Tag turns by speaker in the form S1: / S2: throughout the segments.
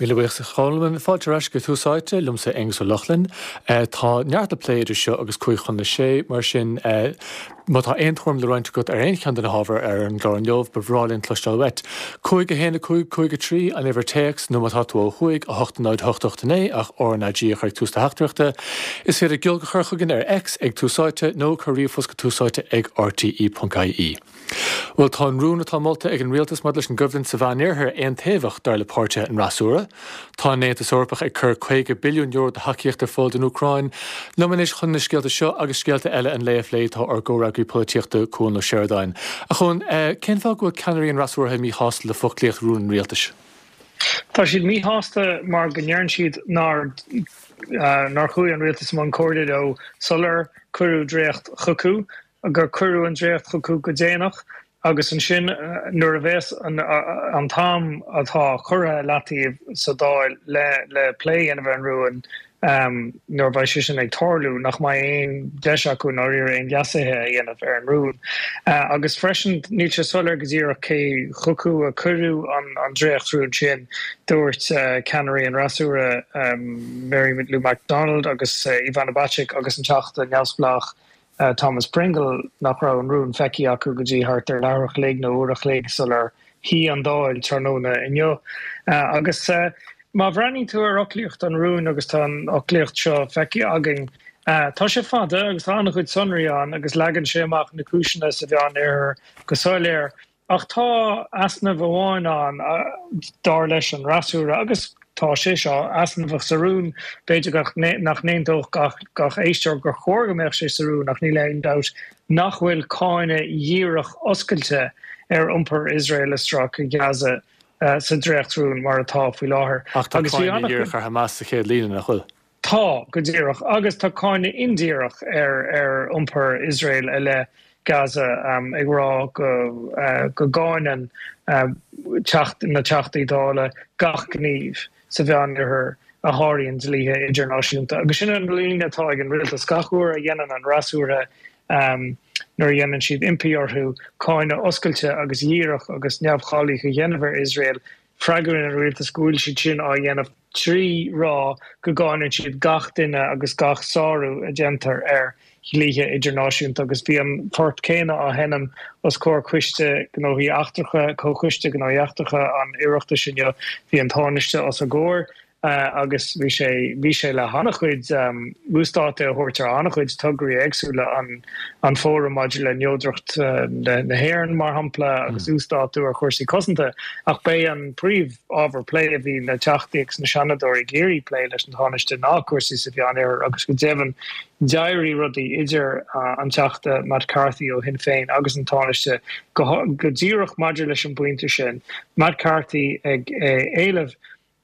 S1: Míle buíochas a Cholmáin. Fáilte ar ais go Tús Áite, liomsa Aonghus Ó Lochlainn. Tá neart le plé idir seo agus cúig chun a sé, mar sin má tá aon tuairim le roinnt agat ar aon cheann de na hábhair ar an gclár inniu, ba bhreá linn cloisteáil uait. 5, 1, 5, 5, 3, an uimhir téacs, nó má tá tú ó thuaidh, 8, 0, 8, 8, 9, ach RnaG a chur ag tús do theachtaireachta. Is féidir giolc a chur chugainn ar X ag Tús Áite nó cuir ríomhphost go túsáite ag rte.ie. Bhuel, tá an rún atá molta ag an rialtas maidir leis an gcoimhlint sa Mheánoirthear aontaobhach, dar le páirtithe an fhreasúra. Tá an Aontas Eorpach ag cur €50 billiún de thacaíocht ar fáil don Úcráin. Liom anois chun na scéalta seo agus scéalta eile an lae a phlé tá ár gcomhfhreagraí polaitíochta, Cuan Ó Seireadáin. A Chuain, cén fáth go bhfuil ceannairí an fhreasúra míshásta le foclaíocht rún an rialtais?
S2: Tá siad míshásta mar go ndeireann siad nár nár chuaigh an rialtas i mbun comhairle leo sular cuireadh dréacht chucu. gur cuireadh an dréacht chucu go déanach agus ansin nuair a bheas an t-am atá curtha i leataobh sa Dáil le plé a dhéanamh ar an rún, nuair a bheidh sé sin ag tarlú, nach mbeidh aon deis acu i ndáiríre aon leasuithe a dhéanamh ar an rún. Agus freisin, níl sé soiléir go díreach cé chucu a cuireadh an dréachtrún sin. Dúirt ceannairí an fhreasúra, Mary Lou McDonald agus Ivana Bacik agus an Teachta neamhspleách Thomas Pringle nach raibh an rún feicthe acu go dtí thart ar leathuair a chloig nó uair a chloig sular shuigh an Dáil tráthnóna inniu. Agus má bhreathnaíonn tú ar fhoclaíocht an rúin, agus tá an fhoclaíocht seo feicthe againn, tá sé fada agus tá an-chuid sonraí ann agus leagann sé amach na cúiseanna sa Mheánoirthear go soiléir. Ach tá easnamh amháin ann, dar leis an fhreasúra, agus tá sé seo easnamhach sa rún, b'fhéidir nach n-aontódh gach éisteoir gur chóir go mbeadh sé sa rún, ach níl aon dabht nach bhfuil cáineadh dhíreach oscailte ar iompar Iosrael i Stráice Ghaza sa dréachtrún mar atá faoi láthair.
S1: Ach tá cáineadh dhíreach ar Hamas sa chéad líne, nach bhfuil?
S2: Tá, go díreach. Agus tá cáineadh indíreach ar iompar Iosrael i leith Gaza, ag rá go gcáineann na Teachtaí Dála gach gníomh sa Mheánoirthear a sháraíonn dlíthe idirnáisiúnta. Agus sin an líne atá ag an rialtas. Gach uair a dhéanann an fhreasúra, nuair a dhéanann siad impí orthu cáineadh oscailte agus dhíreach agus neamhchalaoch a dhéanamh ar Iosrael, Freagraíonn an rialtas go bhfuil siad sin á dhéanamh trí rá go gcáineann siad gach duine agus gach sárú a déantar ar dhlíthe idirnáisiúnta agus bhí an port céanna á sheinm os comhair Coiste Gnóthaí Eachtracha, Comhchoiste Gnóthaí Eachtracha an Oireachtais inniu. Bhí an Tánaiste os a gcomhair. agus bhí sé, bhí sé le han-chuid uasdáta a thabhairt ar an-chuid tograí éagsúla, an an Fóram maidir le Neodracht na hÉireann, mar shampla, agus uasdátú ar chúrsaí cosanta. Ach b'é an príomh-ábhar plé a bhí na Teachtaí agus na Seanadóirí ag iarraidh plé leis an Tánaiste ná cúrsaí sa Mheánoirthear agus go deimhin d'éirigh rudaí idir an Teachta Matt Carthy ó Shinn Féin agus an Tánaiste go díreach maidir leis an bpointe sin, Matt Carthy ag éileamh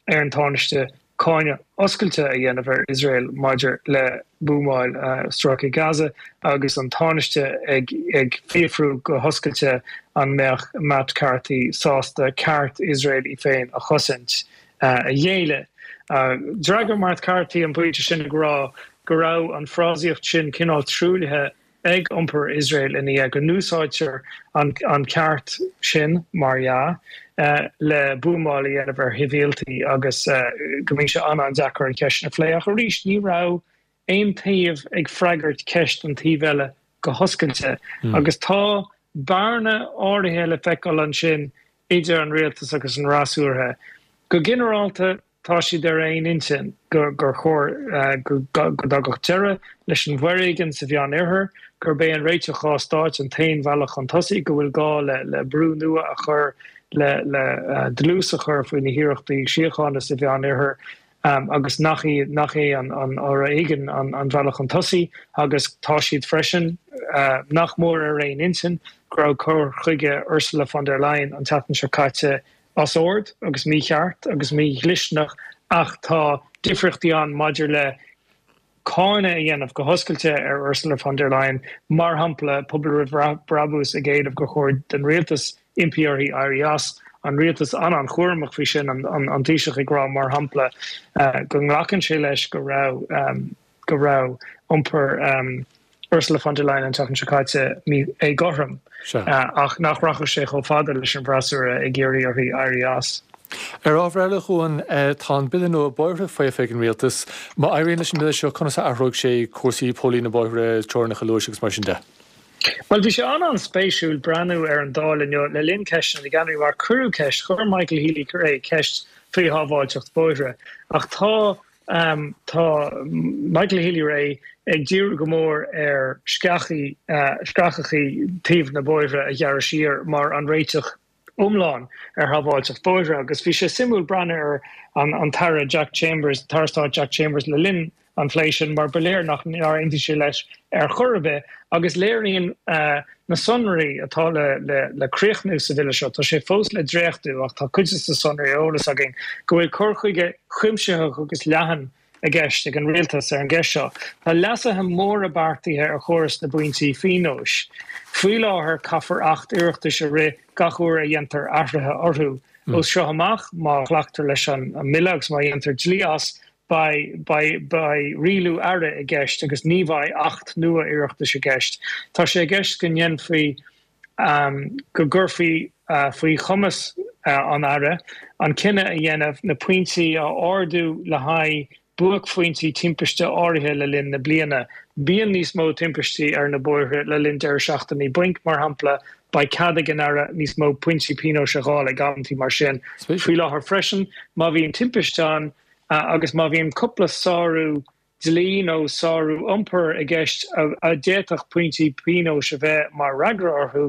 S2: ar an Tánaiste cáineadh oscailte a dhéanamh ar Iosrael maidir le buamáil Stráice Gaza agus an Tánaiste ag fiafrú go hoscailte an mbeadh Matt Carthy sásta ceart Iosrael í féin a chosaint a ghéilleadh. D'fhreagair Matt Carthy an pointe sin ag rá go raibh an frásaíocht sin cineál truaillithe ag iompar Iosrael ina dhiaidh, go n-úsáidtear an ceart sin, mar dhea, le buamáil a dhéanamh ar shibhialtaigh agus go mbíonn sé an-an-deacair an cheist sin a phlé. Ach arís, ní raibh aon taobh ag freagairt ceist an taoibh eile go hoscailte agus tá bearna áirithe le feiceáil ansin idir an rialtas agus an fhreasúra. Go ginearálta, Tá siad ar aon intinn gur chóir go dtagadh deireadh leis an bhforéigean sa Mheánoirthear, gurb é an réiteach 2 stáit an t-aon bhealach chun tosaigh, go bhfuil gá le brú nua a chur le dlús a chur faoi na hiarrachtaí síochána sa Mheánoirthear agus nach é an foréigean an bealach chun tosaigh agus tá siad freisin nach mór ar aon intinn go raibh cur chuige Ursula von der Leyen an tseachtain seo caite as ord agus mícheart agus mídhlisteanach ach tá difríochtaí ann maidir le cáineadh a dhéanamh go hoscailte ar Ursula von der Leyen, mar shampla, Pobal Roimh Brabús ag éileamh gur chóir don rialtas impí uirthi éirí as, an rialtas an-an-chúramach faoi sin, an Taoiseach ag rá, mar shampla, go nglacann sé leis go raibh. go raibh iompar Ursula von der Leyen an tseachtain seo caite mí-éagothrom ach nach rachadh sé chomh fada leis an bhfreasúra ag iarraidh uirthi éirí as.
S1: Ar ábhar eile, a Chuain, tá an Bille nua Bóithre faofa ag an Rialtas. Má éiríonn leis an mBille seo, conas a athróidh sé cúrsaí póilíní na bóithre, teorainneacha luais agus mar sin de?
S2: Bhuel, bhí sé an-an-spéisiúil breathnú ar an Dáil inniu le linn Ceisteanna na gCeannairí mar cuireadh ceist, chuir Michael Healy-Rae ceist faoi shábháilteacht bóithre ach tá tá Michael Healy-Rae ag díriú go mór ar sceachaí, screachachaí taobh na bóithre a ghearradh siar mar an réiteach iomlán ar shábháilteacht bóithre agus bhí sé suimiúil breathnú ar an tAire Jack Chambers, an tAire Stáit Jack Chambers le linn an phlé sin mar ba léir nach nár aontaigh sé leis ar chor ar bith agus léiríonn na sonraí atá le críochnú sa bhille seo, tá sé fós le dréachtú ach tá cuid de na sonraí ar eolas againn, go bhfuil cur chuige cuimsitheach agus leathan i gceist ag an rialtas ar an gceist seo. Tá leasuithe móra beartaithe ar chóras na bpointí pionóis. Faoi láthair caithfear Acht Oireachtais a rith gach uair a dhéantar athruithe orthu. Ó seo amach, má ghlactar leis an mbille agus má dhéantar dlí as, beidh beidh rialú Aire i gceist agus ní bheidh Acht nua Oireachtais i gceist. Tá sé i gceist go ndéanfaí go gcuirfí faoi chumas an Aire an cinneadh a dhéanamh na pointí a ardú le haghaidh buaicphointí timpiste áirithe le linn na bliana. Bíonn níos mó timpistí ar na bóithre le linn deireadh seachtainí bainc, mar shampla. Beidh cead ag an Aire níos mó pointí pionóis a dháileadh ag amantaí mar sin. Faoi láthair freisin, má bhíonn timpiste ann agus má bhíonn cúpla sárú dlí nó sárú iompair i gceist a d'fhéadfadh pointí pionóis a bheith mar fhreagra orthu,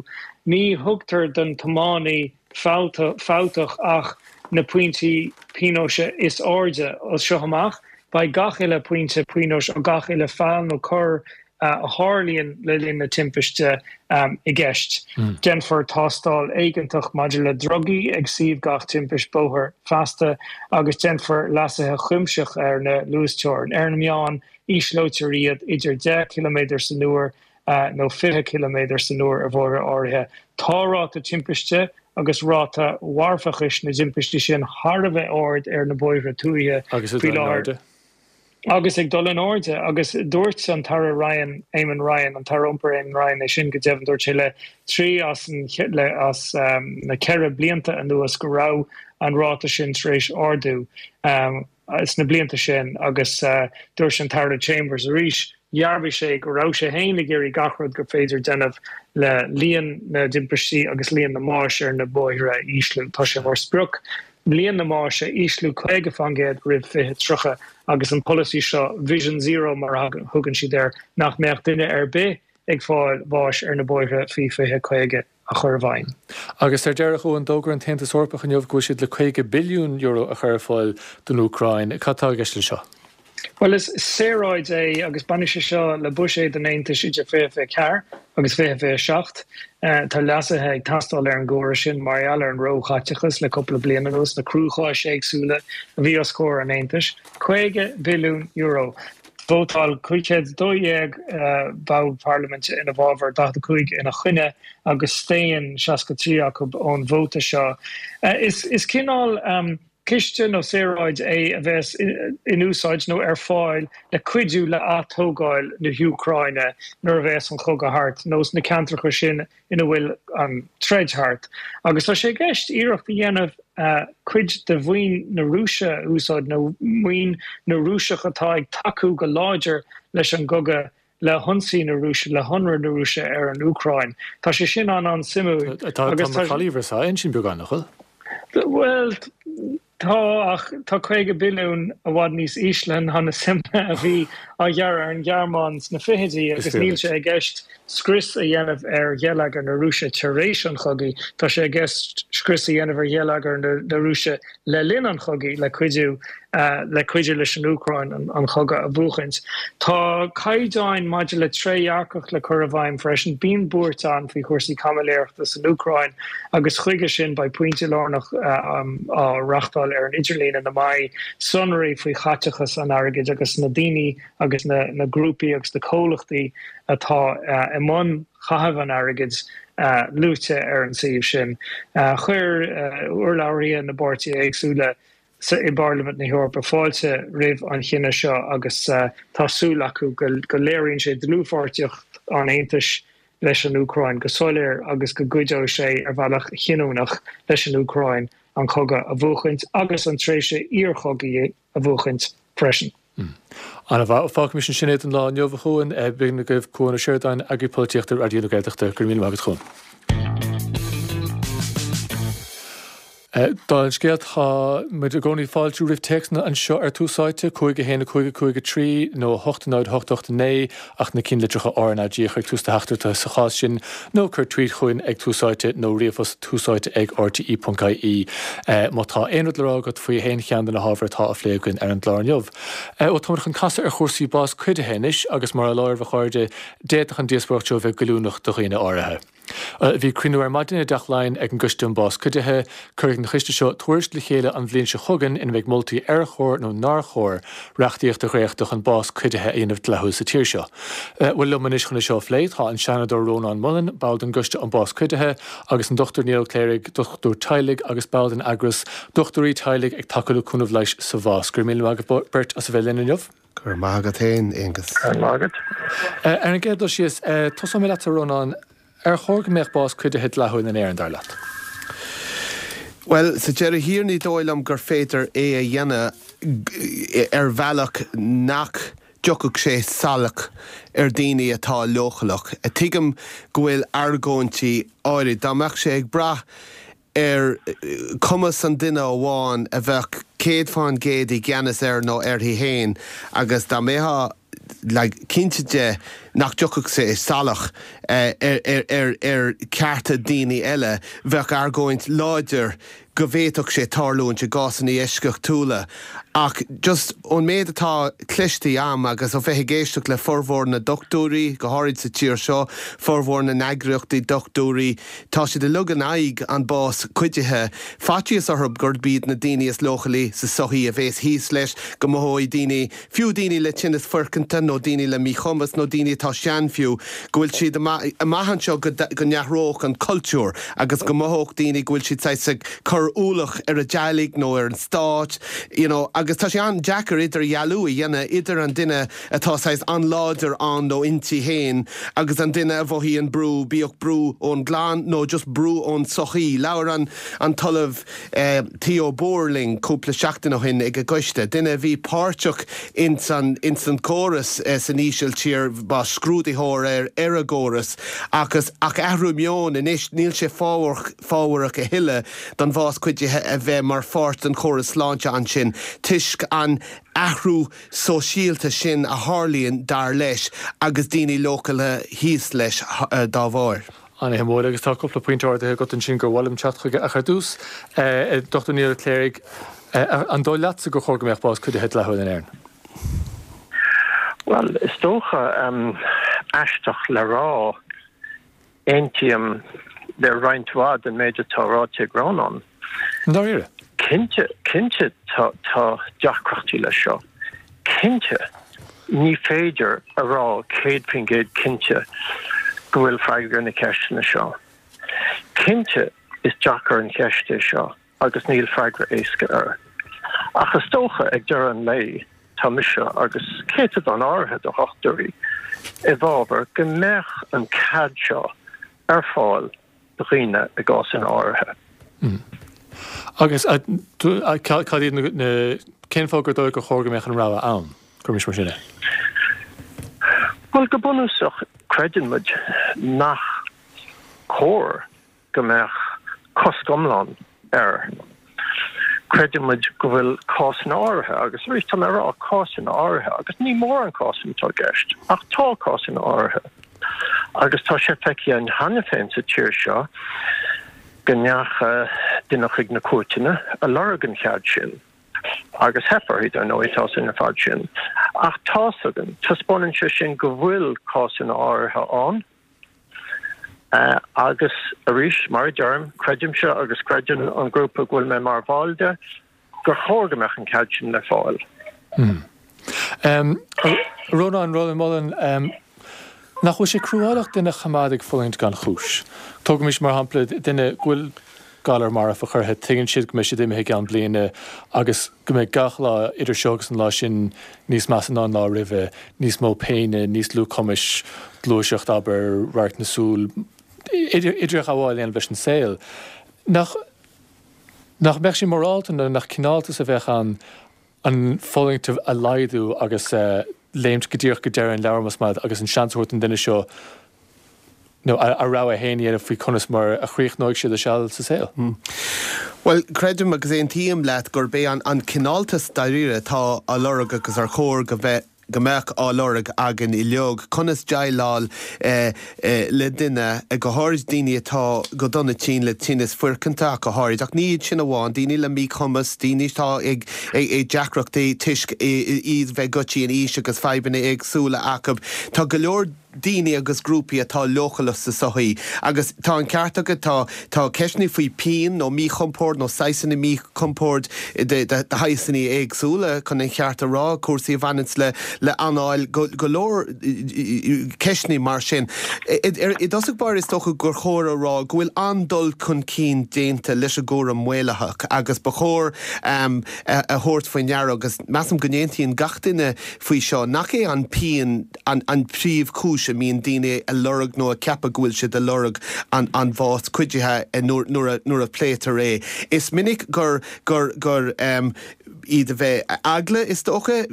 S2: ní thugtar don tiománaí fabhtach ach na pointí pionóis is airde. As seo amach, beidh gach uile pointe pionóis ó gach uile feall nó cor a tharlaíonn le linn na timpiste i gceist. Déanfar tástáil éigeantach maidir le drugaí ag suíomh gach timpist bóthair feasta agus déanfar leasuithe cuimsitheacha ar na luasteorainn. Ar an meán, ísleofar iad idir 10 ciliméadar san uair nó 20 ciliméadar san uair ar bhóithre áirithe. Tá ráta timpiste agus ráta mharfachais na dtimpistí sin thar a bheith ard ar na bóithre tuaithe faoi láthair. Agus ag dul in airde. Agus dúirt an tAire Ryan, Eamon Ryan, an tAire Iompair Eamon Ryan é sin go deimhin, dúirt sé le trí as le as na ceithre blianta anuas go raibh an ráta sin tar éis ardú sna blianta sin agus dúirt an tAire Chambers arís, dhearbhaigh sé go raibh sé féin ag iarraidh gach rud gur féidir déanamh le líon na dtimpistí agus líon na mbáis ar na bóithre a ísliú. Tá sé mar sprioc líon na mbáis a ísliú 50% roimh 2030 agus an polasaí seo, Vision Zero mar a thugann siad air, nach mbeadh duine ar bith ag fáil bháis ar na bóithre faoi 2050 a chur i bhfeidhm.
S1: Agus ar deireadh, a Chuain, d'fhógair an tAontas Eorpach inniu go bhfuil siad le €50 billiún a chur ar fáil don Úcráin. Cad tá i gceist leis seo?
S2: Bhuel, is saoráid é agus bainfidh sé seo le buiséad an Aontais idir 2024 agus 2027. Tá leasuithe ag teastáil ar an gcóras sin mar gheall ar an róchaiteachas le cúpla bliain anuas, na cruacháis éagsúla a bhí os comhair an Aontais. €50 billiún. Vótáil 512 ball parlaiminte ina bhfabhar, 45 ina choinne agus staon 63 acu ón vóta seo. Is cineál. Ciste nó saoráid é a bheas in úsáid nó ar fáil le cuidiú le atógáil na hÚcráine nuair a bheas an cogadh thart, nó sna ceantracha sin ina bhfuil an troid thart. Agus tá sé i gceist iarracht a dhéanamh cuid de mhaoin na Rúise a úsáid, nó maoin na Rúiseach atá ag tacú go láidir leis an gcogadh le hionsaí na Rúise, le hionradh na Rúise ar an Úcráin. Tá sé sin an-an-suimiúil.
S1: Tá macallaí Versailles ansin beagán, nach bhfuil?
S2: Bhuel, tá, ach tá 50 billiún i bhfad níos ísle ná na suimeanna a bhí á ghearradh ar an Ghearmáin sna fichidí agus níl sé i gceist scrios a dhéanamh ar gheilleagar na Rúise tar éis an chogaidh, tá sé i gceist scrios a dhéanamh ar gheilleagar na Rúise le linn an chogaidh le cuidiú le cuidiú leis an Úcráin an cogadh a bhuachaint. Tá caighdeáin maidir le trédhearcacht le cur i bhfeidhm freisin. Bíonn buairt ann faoi chúrsaí caimiléireachta san Úcráin agus chuige sin beidh pointe lárnach á reachtáil ar an idirlíon ina mbeidh sonraí faoi chaiteachas an airgid agus na daoine agus na grúpaí agus na comhlachtaí atá i mbun chaitheamh an airgid luaite ar an suíomh sin. Chuir urlabhraithe na bpáirtithe éagsúla i bParlaimint na hEorpa fáilte roimh an chinneadh seo agus tá súil acu go léiríonn sé dlúthpháirtíocht an Aontais. leis an Úcráin go soiléir agus go gcuideoidh sé ar bhealach chinniúnach leis an Úcráin an cogadh a bhuachaint agus an tréimhse iarchogaidh a bhuachaint freisin.
S1: An-mhaith. Fágfaimis ansin é don lá inniu, a Chuain. B'in agaibh Cuan Ó Seireadáin, Eagraí Polaitíochta Raidió na Gaeltachta. Go raibh míle maith agat, a Chuain. Dála an scéil, tá muid i gcónaí ag fáiltiú roimh téacsanna anseo ar Tús Áite, 5 1 5 5 3 nó 8 0 8 8 9, ach na cinnlitreacha RnaG a chur ag tús do theachtaireachta sa chás sin, nó cuir tweet chugainn ag Tús Áite nó ríomhphost túsáite ag rte.ie má tá aon rud le rá agat faoi aon cheann de na hábhair atá á phlé againn ar an gclár inniu. Bhuel, táimid chun casadh ar chúrsaí bás cuidithe anois agus mar a láirbh a chairde, d'fhéadfadh an díospóireacht seo a bheith goilliúnach do dhaoine áirithe. Bhí cruinniú ar maidin i dTeach Laighean ag an gCoiste um Bás Cuidithe. Cuirfidh an coiste seo tuairisc le chéile an bhliain seo chugainn ina mbeidh moltaí ar chóir nó nár chóir reachtaíocht a dhréachtadh chun bás cuidithe a dhéanamh dleathúil sa tír seo. Bhuel, liom anois chun é seo a phlé tá an Seanadóir Rónán Mullen, ball den gCoiste um Bás Cuidithe, agus an Dr Niall Ó Cléirigh, dochtúir teaghlaigh agus ball den eagras Dochtúirí Teaghlaigh ag Tacú le Cúnamh Leighis sa Bhás. Go raibh míle maith agaibh beirt as a bheith linn inniu.
S3: Go raibh maith agat féin, Aonghus.
S2: Go raibh maith agat.
S1: Ar an gcéad dul síos, tosóidh mé leatsa, a Rónáin. Ar chóir go mbeadh bás cuidithe dleathúil in Éirinn, dar leat?
S3: Bhuel, sa deireadh thiar ní dóigh liom gur féidir é a dhéanamh ar bhealach nach dtiocfadh sé salach ar daoine atá leochaileach. Tuigim go bhfuil argóintí áirid. Dá mbeadh sé ag brath ar chumas an duine amháin a bheadh 100% i gceannas air nó uirthi féin agus dá mbeifeá like cinnte de nach dtiocfadh sé salach ar chearta daoine eile, bheadh argóint láidir go bhféadfadh sé tarlúint i gcásanna eisceachtúla. Ach just ón méid atá cloiste a'm agus ó bheith ag éisteacht le formhór na dochtúirí, go háirid sa tír seo, formhór na n-eagraíochtaí dochtúirí, Tá siad uilig in aghaidh an bás cuidithe. Faitíos orthu gurb iad na daoine is leochailí sa sochaí a bhéas thíos leis, go mothóidh daoine, fiú daoine le tinneas foirceanta nó daoine le míchumas nó daoine atá sean fiú, go bhfuil siad amach anseo go n-athródh an cultúr agus go mothódh daoine go bhfuil siad saghas ag cur ualach ar a dteaghlaigh nó ar an stát you know agus tá sé an-deacair idirdhealú a dhéanamh idir an duine atá saghas an-láidir ann nó inti féin agus an duine a mhothaíonn brú, bíodh brú ón gclann nó just brú ón tsochaí. Labhair an an tOllamh Theo Boer linn cúpla seachtain ó shin ag an gcoiste, duine a bhí páirteach ins an ins an gcóras san Ísiltír, ba scrúdaitheoir ar ar an gcóras agus ach athrú meoin anois, níl sé fábharach fábharach a thuilleadh don bhás cuidithe a bheith mar pháirt den chóras sláinte ansin toisc an athrú sóisialta sin a tharlaíonn, dar leis, agus daoine leochaileacha thíos leis dá bharr.
S1: An-shuimiúil, agus tá cúpla pointe ardaithe agat ansin gur mhaith liom teacht chuige, ach ar dtús, a Dr Niall Ó Cléirigh, an dóigh leatsa gur chóir go mbeadh bás cuidithe dleathúil in Éirinn?
S4: Bhuel, is dócha, aisteach le rá, Aontaím le roinnt mhaith den méid atá ráite ag Rónán.
S1: I ndáiríre?
S4: Cinnte, cinnte tá deacrachtaí leis seo. Cinnte, ní féidir a rá 100% cinnte go bhfuil freagra ar na ceisteanna seo. Cinnte, is deacair an cheist é seo. agus níl freagra éasca air. Ach is dócha, ag deireadh an lae, tá mise, agus céatadán áirithe de dhochtúirí, i bhfabhar go mbeadh an cead seo ar fáil do dhaoine i gcásanna áirithe.
S1: Agus cad iad na, cén fáth gur dóigh gur chóir go mbeadh an rogha ann? Cuirimis mar sin é.
S4: Bhuel, go bunúsach, creideann muid nach cóir go mbeadh cosc iomlán air. Creideann muid go bhfuil cásanna áirithe, agus arís tá mé ag rá cásanna áirithe, agus ní mórán cásanna atá i gceist, ach tá cásanna áirithe, agus tá sé feicthe againn cheana féin sa tír seo go ndeacha duine chuig na cúirteanna a lorg an chead sin, agus theip orthu, dar ndóigh, tá a fhios againn ar fad sin. Ach tá's againn, taispeánann sé sin go bhfuil cásanna áirithe ann, Agus arís, mar a deirim, creidimse agus creideann an grúpa go bhfuil mé mar bhall de, gur chóir go mbeadh an cead sin le fáil.
S1: Rónán, Rónán Mullen, nach bhfuil sé cruálach duine a choimeád ag fulaingt gan chúis? Tógaimis mar shampla duine go bhfuil. galar marfach orthu, tuigeann siad go mbeidh siad imithe i gceann bliana agus go mbeidh gach lá idir seo agus an lá sin níos measa ná an lá roimhe, níos mó péine, níos lú cumais gluaiseacht, abair, radharc na súl, idirghabháil a dhéanamh leis an saol. Nach nach mbeadh sé morálta nó nach cineáltas a bheadh ann an fulaingt a laghdú agus léimt go díreach go deireadh an leabhair, más maith, agus an seans a thabhairt don duine seo nó a rogha féin a dhéanamh faoi conas mar a chríochnóidh siad a seal sa saol.
S3: Bhuel, creidim agus aontaím leat gurb é an cineáltas dáiríre atá á lorg agus ar chóir go bheith go mbeadh á lorg againn uilig, conas déileáil le duine, go háirid daoine atá go dona tinn le tinneas foirceanta ach go háirid, ach ní iad sin amháin, daoine le míchumas, daoine atá ag deacrachtaí toisc iad bheith goitse in aois agus fadhbanna éagsúla acu. Tá go leor. daoine agus grúpaí atá leochaileach sa sochaí. Agus tá an ceart agat, tá, tá ceisteanna faoi pian nó míchompord nó saghsanna míchompoird de, de shaghsanna éagsúla, chun an cheart a rá, cúrsaí a bhaineanns le, le anáil, go, go leor ceisteanna mar sin. I dtosach báire is dócha gur chóir a rá go bhfuil an-dul chun cinn déanta leis an gcúram maolaitheach agus ba chóir a thabhairt faoi ndeara, agus measaim go n-aontaíonn gach duine faoi seo, nach é an pian, an príomhchúis a mbíonn daoine ag lorg nó ag ceapadh go bhfuil siad ag lorg an bhás cuidithe nuair a pléitear é. Is minic gur gur gur iad a bheith eagla, is dócha,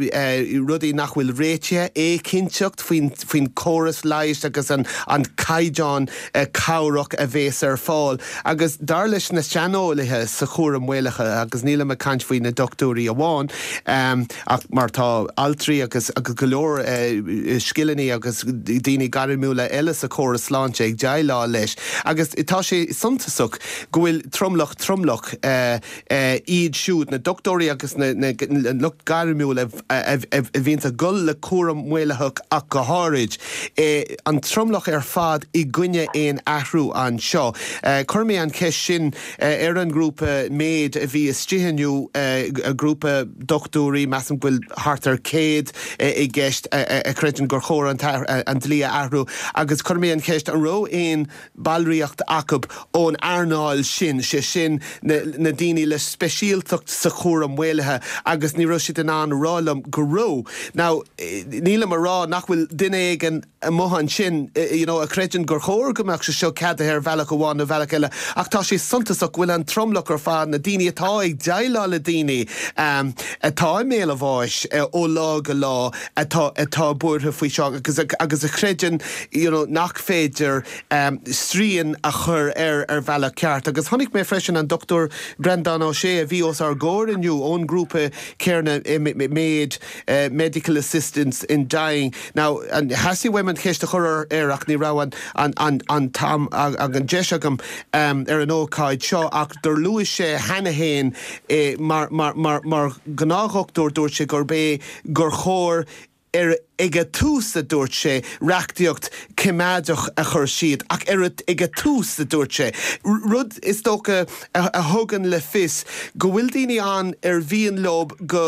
S3: rudaí nach bhfuil réitithe, éiginnteacht faoin faoin córas leighis agus an an caighdeán cabhrach a bhéas ar fáil. Agus dar leis na saineolaithe sa chúram maolaitheach, agus nílim ag caint faoi na dochtúirí amháin, Ach mar tá altraí agus go leor scileanna agus daoine gairmiúla eile sa chóras sláinte ag déileáil leis agus tá sé suntasach go bhfuil tromlach tromlach iad siúd, na dochtúirí agus na lucht gairmiúil a bhíonns ag dul le cúram maolaitheach ach go háirid, an tromlach ar fad i gcoinne aon athrú anseo. Chuir mé an cheist sin ar an ngrúpa MAID a bhí istigh inniu, grúpa dochtúirí, measaim go bhfuil thart ar 100 i gceist, a chreideann gur chóir an dlí a athrú agus chuir mé an cheist an raibh aon ballraíocht acu ón earnáil sin, sé sin na daoine le speisialtacht sa chúram maolaithe agus ní raibh siad in ann a rá liom go raibh. Now, nílim a rá nach bhfuil duine éigin amuigh ansin you know a chreideann gur chóir go mbeadh sé seo ceadaithe ar bhealach amháin nó bealach eile ach tá sé suntasach go bhfuil an tromlach ar fad, na daoine atá ag déileáil le daoine atá i mbéal a bháis ó lá go lá atá atá buartha faoi seo agus agus a chreideann you know nach féidir srian a chur air ar bhealach ceart. Agus chonaic mé freisin an Dr Breandán Ó Sé a bhí os ár gcomhair inniu ón ngrúpa céanna MAID, Medical Assistance in Dying. Now, theastaigh uaim an cheist a chur air ach ní raibh an an t-am ag an deis agam ar an ócáid seo ach dur luaigh sé cheana féin mar mar mar mar ghnáthdhochtúir dúirt sé gurb é gur chóir ar ag a tús a dúirt sé reachtaíocht coimeádach a chur siad ach ar ag a tús a dúirt sé rud is dócha a thugann le fios go bhfuil daoine ann ar mhian leo go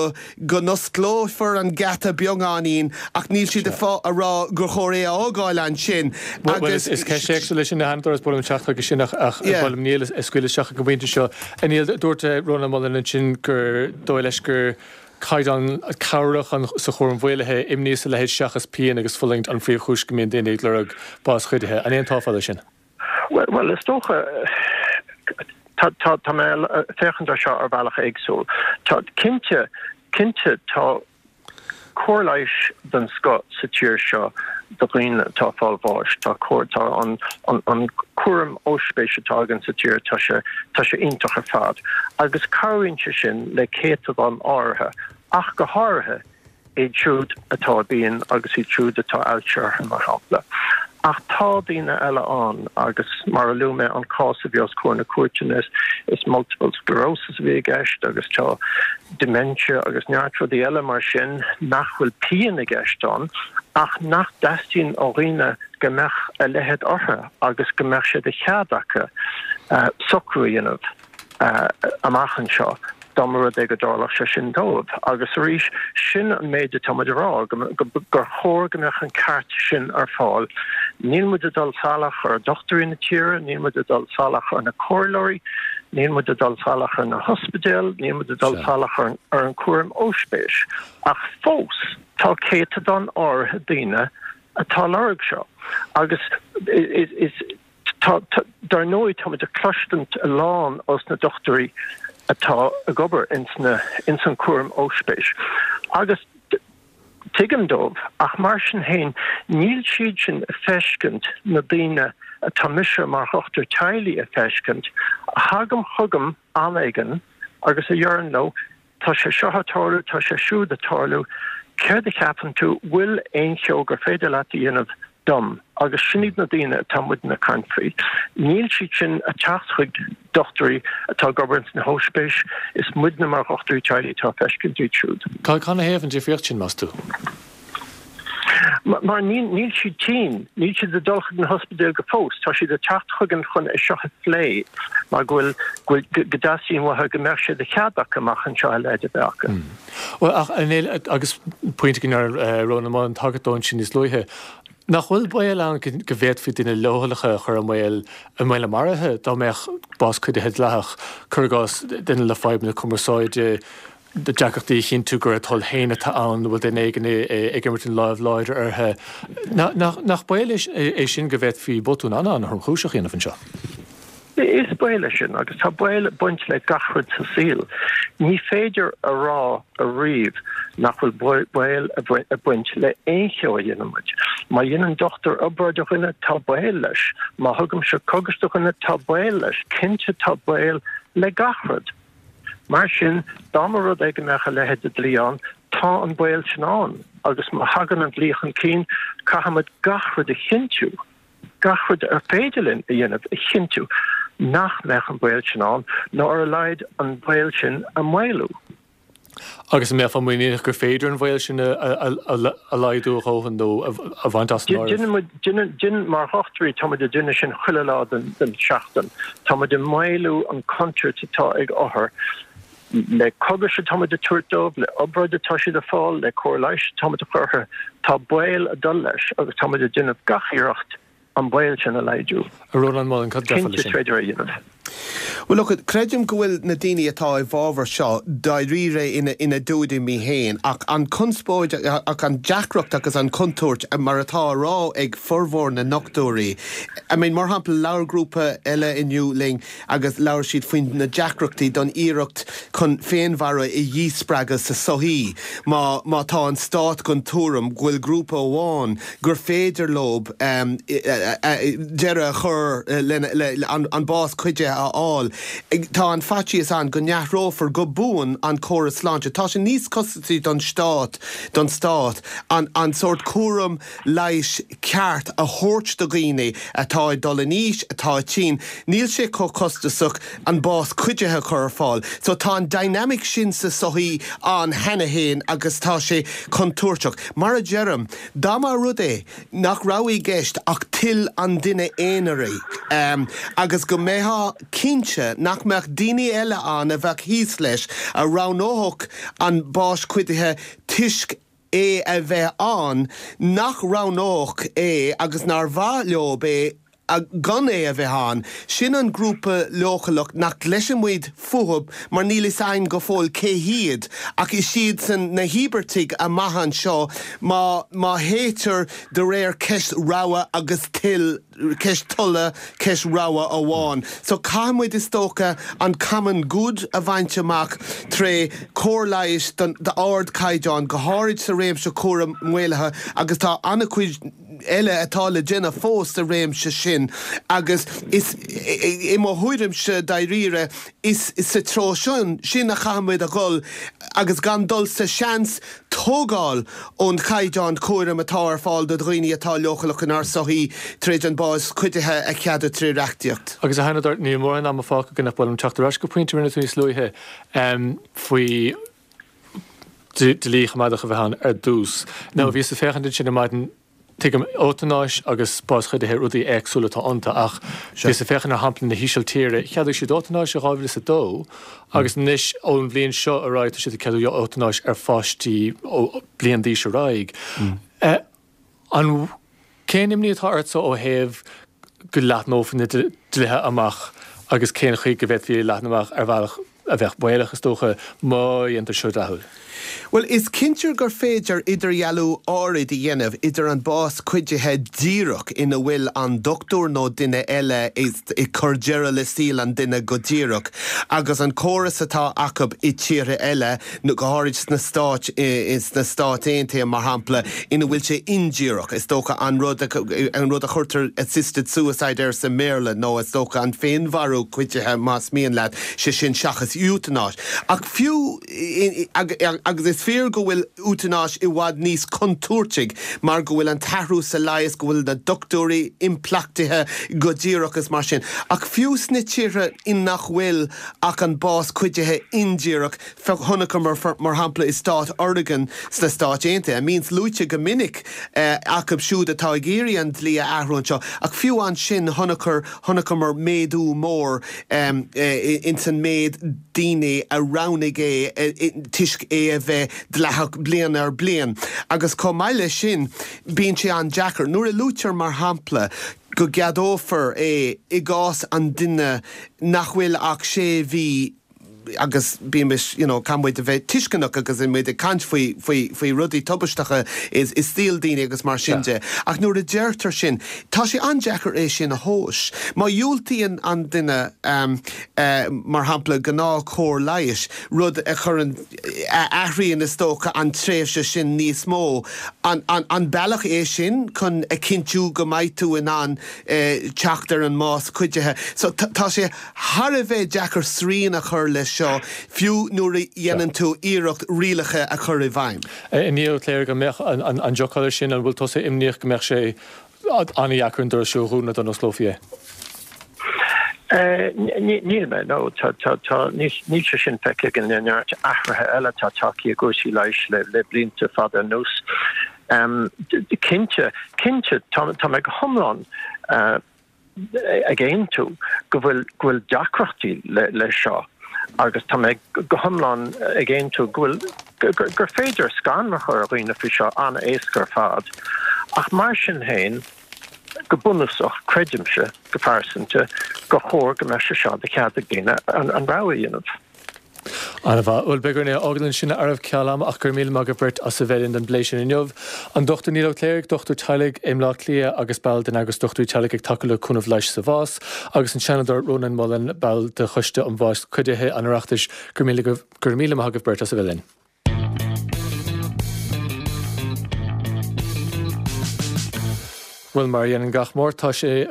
S3: go n-osclófar an geata beagáinín ach níl siad ag fá a rá gur chóir é a fhágáil ansin
S1: Bhuel, agus. is ceist éagsúil é sin a Sheanadóir, is ba mhaith liom teacht chuige sin ach ach ba mhaith liom Niall a scaoileadh isteach ag an bpointe seo. A Niall, dúirt Rónán Mullen ansin gur dóigh leis gur caighdeán cabhrach sa chúram mhaolaithe, imní is a leithéid seachas pian agus fulaingt an phríomhchúis go mbíonn daoine ag lorg bás chuidithe. An aontófá leis sin?
S4: Bhuel, is dócha, tá, tá, tá mé ag féachaint ar seo ar bhealach éagsúil. Tá, cinnte, cinnte tá cóir leighis den scoth sa tír seo do dhaoine atá ag fáil bháis. Tá cóir, tá an, an, an cúram ospís atá againn sa tír, tá sé, tá sé iontach ar fad. Agus cabhraíonn sé sin le céatadán áirithe, ach go háirithe, iad siúd atá i bpian agus iad siúd atá ailse orthu, mar shampla. Ach tá daoine eile ann agus, mar a luaigh mé, an cás a bhí os comhair na cúirte, is multiple sclerosis a bhí i gceist agus tá dementia agus neart rudaí eile mar sin nach bhfuil pian i gceist ann ach nach dteastaíonn ó dhaoine go mbeadh a leithéid orthu agus go mbeadh sé de chead acu socrú a dhéanamh. amach anseo dá mba rud é go dtarlódh sé sin dóibh. Agus arís, sin an méid atá muid a rá, gur chóir go mbeadh an ceart sin ar fáil. Níl muid ag dul salach ar dhochtúirí na tíre, níl muid ag dul salach ar na comhairleoirí. Níl muid ag dul salach ar na hospidéil, níl muid ag dul salach ar an cúram ospéis. Ach fós, tá céatadán áirithe daoine atá ag lorg seo. Agus is, tá, dar ndóigh, tá muid ag cloistint a lán ós na dochtúirí atá ag obair ins na, ins an cúram ospéis. Agus Tuigim dóibh, ach mar sin féin, níl siad sin ag feiscint na daoine atá mise mar dhochtúir teaghlaigh ag feiscint, a thagann chugam am éigin agus a dheireann leo, tá sé seo ag tarlú, tá sé siúd ag tarlú, céard a cheapann tú, bhfuil aon cheo gur féidir leat a dhéanamh dom? Agus sin iad na daoine atá muidne ag caint faoi. Níl siad sin ag teacht chuig dochtúirí atá ag obair ins na hóispéis, is muidne mar dhochtúirí teaghlaigh atá ag feiscint iad siúd.
S1: Canathaobh an difríocht sin, meas tú?
S4: Mar níl siad tinn, níl siad ag dul chuig na hospidéil go fós, tá siad ag teacht chugainn chun é seo a phlé mar go bhfuil, go bhfuil, go dteastaíonn uathu go mbeadh sé de chead acu amach anseo a leithéid a bheith acu.
S1: Bhuel, ach, a Néill, agus pointe go ndearna Rónán Mullen tagairt dó ansin níos luaithe, nach bhfuil baol ann go bhféadfaí daoine leochaileacha a chur i mbaol, i mbaol a maraithe dá mbeadh bás cuidithe dleathach, cuir i gcás, duine le fadhbanna cumarsáide, deacrachtaí a chinntiú gur a toil féin atá ann, nó bhfuil duine éigin ag imirt an láimh láidir orthu. Nach baol é sin go bhféadfaí botún an-an-thromchúiseach a dhéanamh anseo?
S4: Is baol é sin, agus tá baol ag baint le gach rud sa saol. Ní féidir a rá ariamh nach bhfuil baol ag baint le aon cheo a dhéanann muid. Má dhéanann dochtúir obráid ar dhuine, tá baol leis. Má thugaimse cogais do dhuine, tá baol leis. Cinnte tá baol le gach rud. Mar sin, dá mba rud é go mbeadh a leithéid de dlí ann, tá an baol sin ann. Agus má thagann an dlí chun cinn, caithfimid gach rud a chinntiú. gach rud ar féidir linn a dhéanamh a chinntiú nach mbeadh an baol sin ann, nó ar a laghad an baol sin a mhaolú.
S1: Agus an mbeifeá muiníneach gur féidir an baol sin a laghdú a dhóthain nó a bhaint as an áireamh?
S4: Déanann muid, déanann, mar dhochtúirí, tá muid ag déanamh sin chuile lá den tseachtain. Tá muid ag maolú an contúirt atá ag othair. Le cogais atá muid ag tabhairt dóibh, le obráid atá siad ag fáil, le cóir leighis atá muid a chur orthu, tá baol ag dul leis agus tá muid ag déanamh gach iarracht an baol sin a laghdú.
S1: A Rónáin Mullen, cad a déarfá
S4: leis
S1: sin?
S4: Cinnte is féidir é a dhéanamh.
S3: Bhuel, look, creidim go bhfuil na daoine atá i bhfabhar seo dáiríre ina dtuairimí féin ach an conspóid, ach an deacracht agus an chontúirt, mar atá á rá ag formhór na ndochtúirí, I mean, mar shampla, labhair grúpa eile inniu linn, agus labhair siad faoi na deacrachtaí don iarracht chun féinmharú a dhíspreagadh sa sochaí má má tá an stát den tuairim go bhfuil grúpa amháin gur féidir leo deireadh a chur lena le an bás cuidithe a fháil. Tá an faitíos ann go n-athrófar go buan an córas sláinte. Tá sé níos costasaí don stát don stát an an sórt cúram leighis ceart a thabhairt do dhaoine atá ag dul in aois, atá tinn. Níl sé chomh costasach an bás cuidithe a chur ar fáil. So tá an dynamic sin sa sochaí ann cheana féin agus tá sé contúirteach. Mar a deirim, dá mba rud é nach raibh i gceist ach toil an duine aonair agus go mbeifeá cinnte nach mbeadh daoine eile ann a bheadh thíos leis a roghnódh an bás cuidithe toisc é a bheith ann, nach roghnódh é agus nár mhaith leob é gan é a bheith ann. Sin an grúpa leochaileach nach gcloiseann muid fúthub mar níl fhios a'inn go fóill cé hiad ach is iadsan na híobartaigh amach anseo má má théitear de réir ceist rogha agus toil ceist tola, ceist rogha amháin. So caithfidh muid is dócha an common good a bhaint amach tré cóir leighis d'ardchaighdeán, go háirid sa réimse cúram maolaithe agus tá an-chuid eile atá le déanamh fós sa réimse sin agus is i mo thuairimse dáiríre is sa treo sin sin a chaithfidh muid a dhul agus gan dul sa seans tógáil ón chaighdeán cúraim atá ar fáil do dhaoine atá leochaileach inár sochaí tar éis an bás cuidithe a cheadú tré reachtaíocht.
S1: Agus a Sheanadóir, níl mórán ama fágtha againn ach ba mhaith liom teacht ar ais go pointe a rinne tú níos luaithe faoi dlí choimeádach a bheith ann ar dtús. Now, bhíos ag féachaint ansin ar maidin, Tuigim, eotanáis agus bás chuidithe, rudaí éagsúla atá iontu, ach bhíos ag féachaint ar shampla na hÍsiltíre, cheadaigh siad eotanáis i 2002 agus anois ón bhliain seo ar aghaidh tá siad ag ceadú eotanáis ar pháistí ó bliain d'aois ar aghaidh. An, cén imní atá ortsa ó thaobh go leathnófaí na dlíthe amach? agus cén chaoi go bhféadfaí é a leathnú amach ar bhealach a bheadh baolach, is dócha, má dhéantar seo dleathúil.
S3: Bhuel, is cinnte gur féidir idirdhealú áirid a dhéanamh idir an bás cuidithe díreach ina bhfuil an dochtúir nó duine eile ag cur deireadh le saol an duine go díreach agus an córas atá acu i tíortha eile, go háirid sna Stáit, sna Stáit Aontaithe mar shampla, ina bhfuil sé indíreach. Is dócha an rud, an rud a chuirtear assisted suicide air sa mBéarla nó is dócha an féinmharú cuidithe más mian leat, sé sin seachas eotanáis. Ach fiú, agus is fíor go bhfuil eotanáis i bhfad níos contúirtigh mar go bhfuil an t-athrú sa leigheas, go bhfuil na dochtúirí impleachtaithe go díreach is mar sin. Ach fiú sna tíortha in nach bhfuil ach an bás cuidithe indíreach, chonaiceamar mar shampla i stát Oregon sna Stáit Aontaithe, a mbíonns luaite go minic acu siúd atá ag iarraidh an dlí a athrú anseo, ach fiú ansin chonaiceamar méadú mór ins an méid daoine a roghnaigh é toisc é a bheith dleathach bliain ar bliain. Agus chomh maith leis sin, bíonn sé an-deacair. Nuair a luaitear mar shampla go gceadófar é i gcás an duine nach bhfuil ach sé mhí agus bímis, you know, caithfidh muid a bheith tuisceanach agus muid ag caint faoi, faoi, faoi rudaí tubaisteacha i, i saol daoine agus mar sin de. Ach nuair a deirtear sin, tá sé an-deacair é sin a thomhas. Má dhiúltaíonn an duine, eh, mar shampla, gnáth-chóir leighis, rud a chuireann, a athraíonn is dócha an tréimhse sin níos mó, an, an, an bealach é sin chun a chinntiú go mbeidh tú in ann, eh, teacht ar an mbás cuidithe? So, tá sé. thar a bheith deacair srian a chur leis seo, fiú nuair a dhéanann tú iarracht rialacha a chur i bhfeidhm.
S1: A Niamh Ó Cléirigh, an mbeadh an drochbhail sin, an bhfuil tusa imníoch go mbeadh sé an-dheacair an doras seo a dhúnadh dá n-osclófaí
S4: é? Níl mé, no. Tá, níl sé sin feicthe againn le neart athruithe eile atá tagtha i gcúrsaí leighis le blianta fada anuas. Cinnte, cinnte, tá mé go hiomlán ag aontú go bhfuil go bhfuil deacrachtaí leis seo agus tá mé go hiomlán ag aontú go bhfuil gur féidir scanradh a chur ar dhaoine faoi seo an-éasca ar fad. Ach mar sin féin, go bunúsach, creidimse go pearsanta gur chóir go mbeadh sé seo de chead ag daoine an rogha a dhéanamh.
S1: An-mhaith. Bhuel, beidh orainn é a fhágáil ansin a fhearaibh ceal ama ach go raibh míle maith agaibh beirt as a bheith linn don bplé sin inniu. An Dr Niall Ó Cléirigh, dochtúir teaghlaigh i mBleá Cliath agus ball den eagras Dochtúirí Teaghlaigh ag tacú le cúnamh leighis sa bhás, agus an Seanadóir Rónán Mullen, ball de Choiste um Bhás Cuidithe an Oireachtais, go raibh míle maith agaibh beirt as a bheith linn. Bhuel, mar a dhéanann gach Máirt, tá sé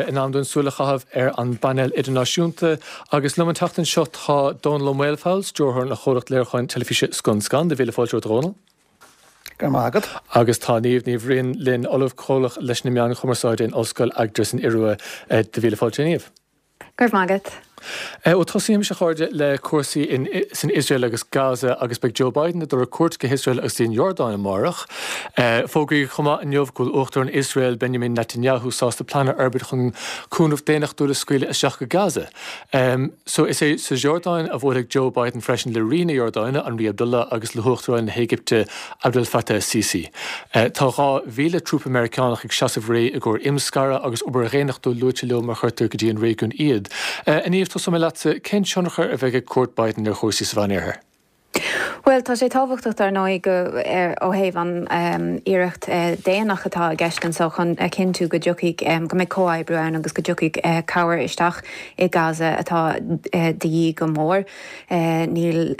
S1: in am dúinn súil a chaitheamh ar an bpainéal idirnáisiúnta agus liom an tseachtain seo tá Dónall Ó Maolfabhail, stiúrthóir an chomhlacht léiriúcháin teilifíse Scun Scan. Do mhíle fáilte romhat, a Dhónaill.
S5: Go raibh maith agat.
S1: Agus tá Niamh Ní Bhriain linn, Ollamh Comhlach leis na Meáin Chumarsáide in Ollscoil Agder san Iorua. Do mhíle fáilte, a Niamh.
S6: Go raibh maith agat.
S1: Bhuel, tosaímis, a chairde, le cúrsaí in san Iosrael agus Gaza agus beidh Joe Biden ag dul ar cuairt go hIosrael agus an Iordáin amárach. Fógraíodh chomh maith inniu go bhfuil Uachtarán Iosrael, Benjamin Netanyahu, sásta plean a fhorbairt chun cúnamh daonnachtúil a scaoileadh isteach go Gaza. So, is é sa Iordáin a bhuailfidh Joe Biden freisin le Rí na Iordáine, an Rí Abdullah, agus le hUachtarán na hÉigipte, Abdel Fattah Sisi. Tá 2,000 trúpa Meiriceánach ag seasamh réidh i gcomhair imscaradh agus obair dhaonnachtúil luaite leo má chuirtear go dtí an réigiún iad. A Niamh, tosóidh mé leatsa, cén tionchar a bheidh ag cuairt Biden ar chúrsaí sa Mheánoirthear?
S6: Bhuel, tá sé tábhachtach dar ndóigh go, ó thaobh an iarracht daonnach atá i gceist anseo chun a chinntiú go dtiocfaidh, go mbeidh comhoibriú ann agus go dtiocfaidh cabhair isteach i Gaza atá de dhíth go mór. Níl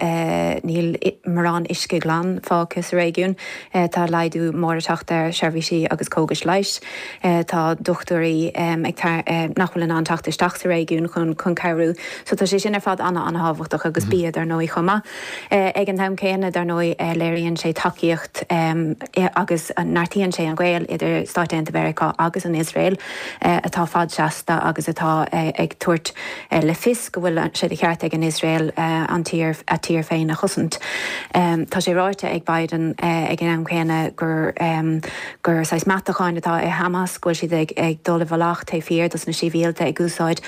S6: níl mórán uisce glan fágtha sa réigiún. Tá laghdú mór ag teacht ar sheirbhísí agus cógais leighis. Tá dochtúirí ag nach bhfuil in ann teacht isteach sa réigiún chun chun cabhrú. So tá sé sin ar fad ana-ana-thábhachtach agus bia dar ndóigh chomh maith. Ag an t-am céanna dar ndóigh léiríonn sé tacaíocht agus neartaíonn sé an gaol idir Stáit Aontaithe Mheiriceá agus an Iosrael atá fadseasta agus atá ag tabhairt le fios go bhfuil sé de cheart ag an Iosrael an tír, a tír féin a chosaint. Tá sé ráite ag Biden ag an am céanna gur gur saghas meatacháin atá i Hamas, go bhfuil siad ag ag dul i bhfolach taobh thiar dos na sibhialtaigh, ag úsáid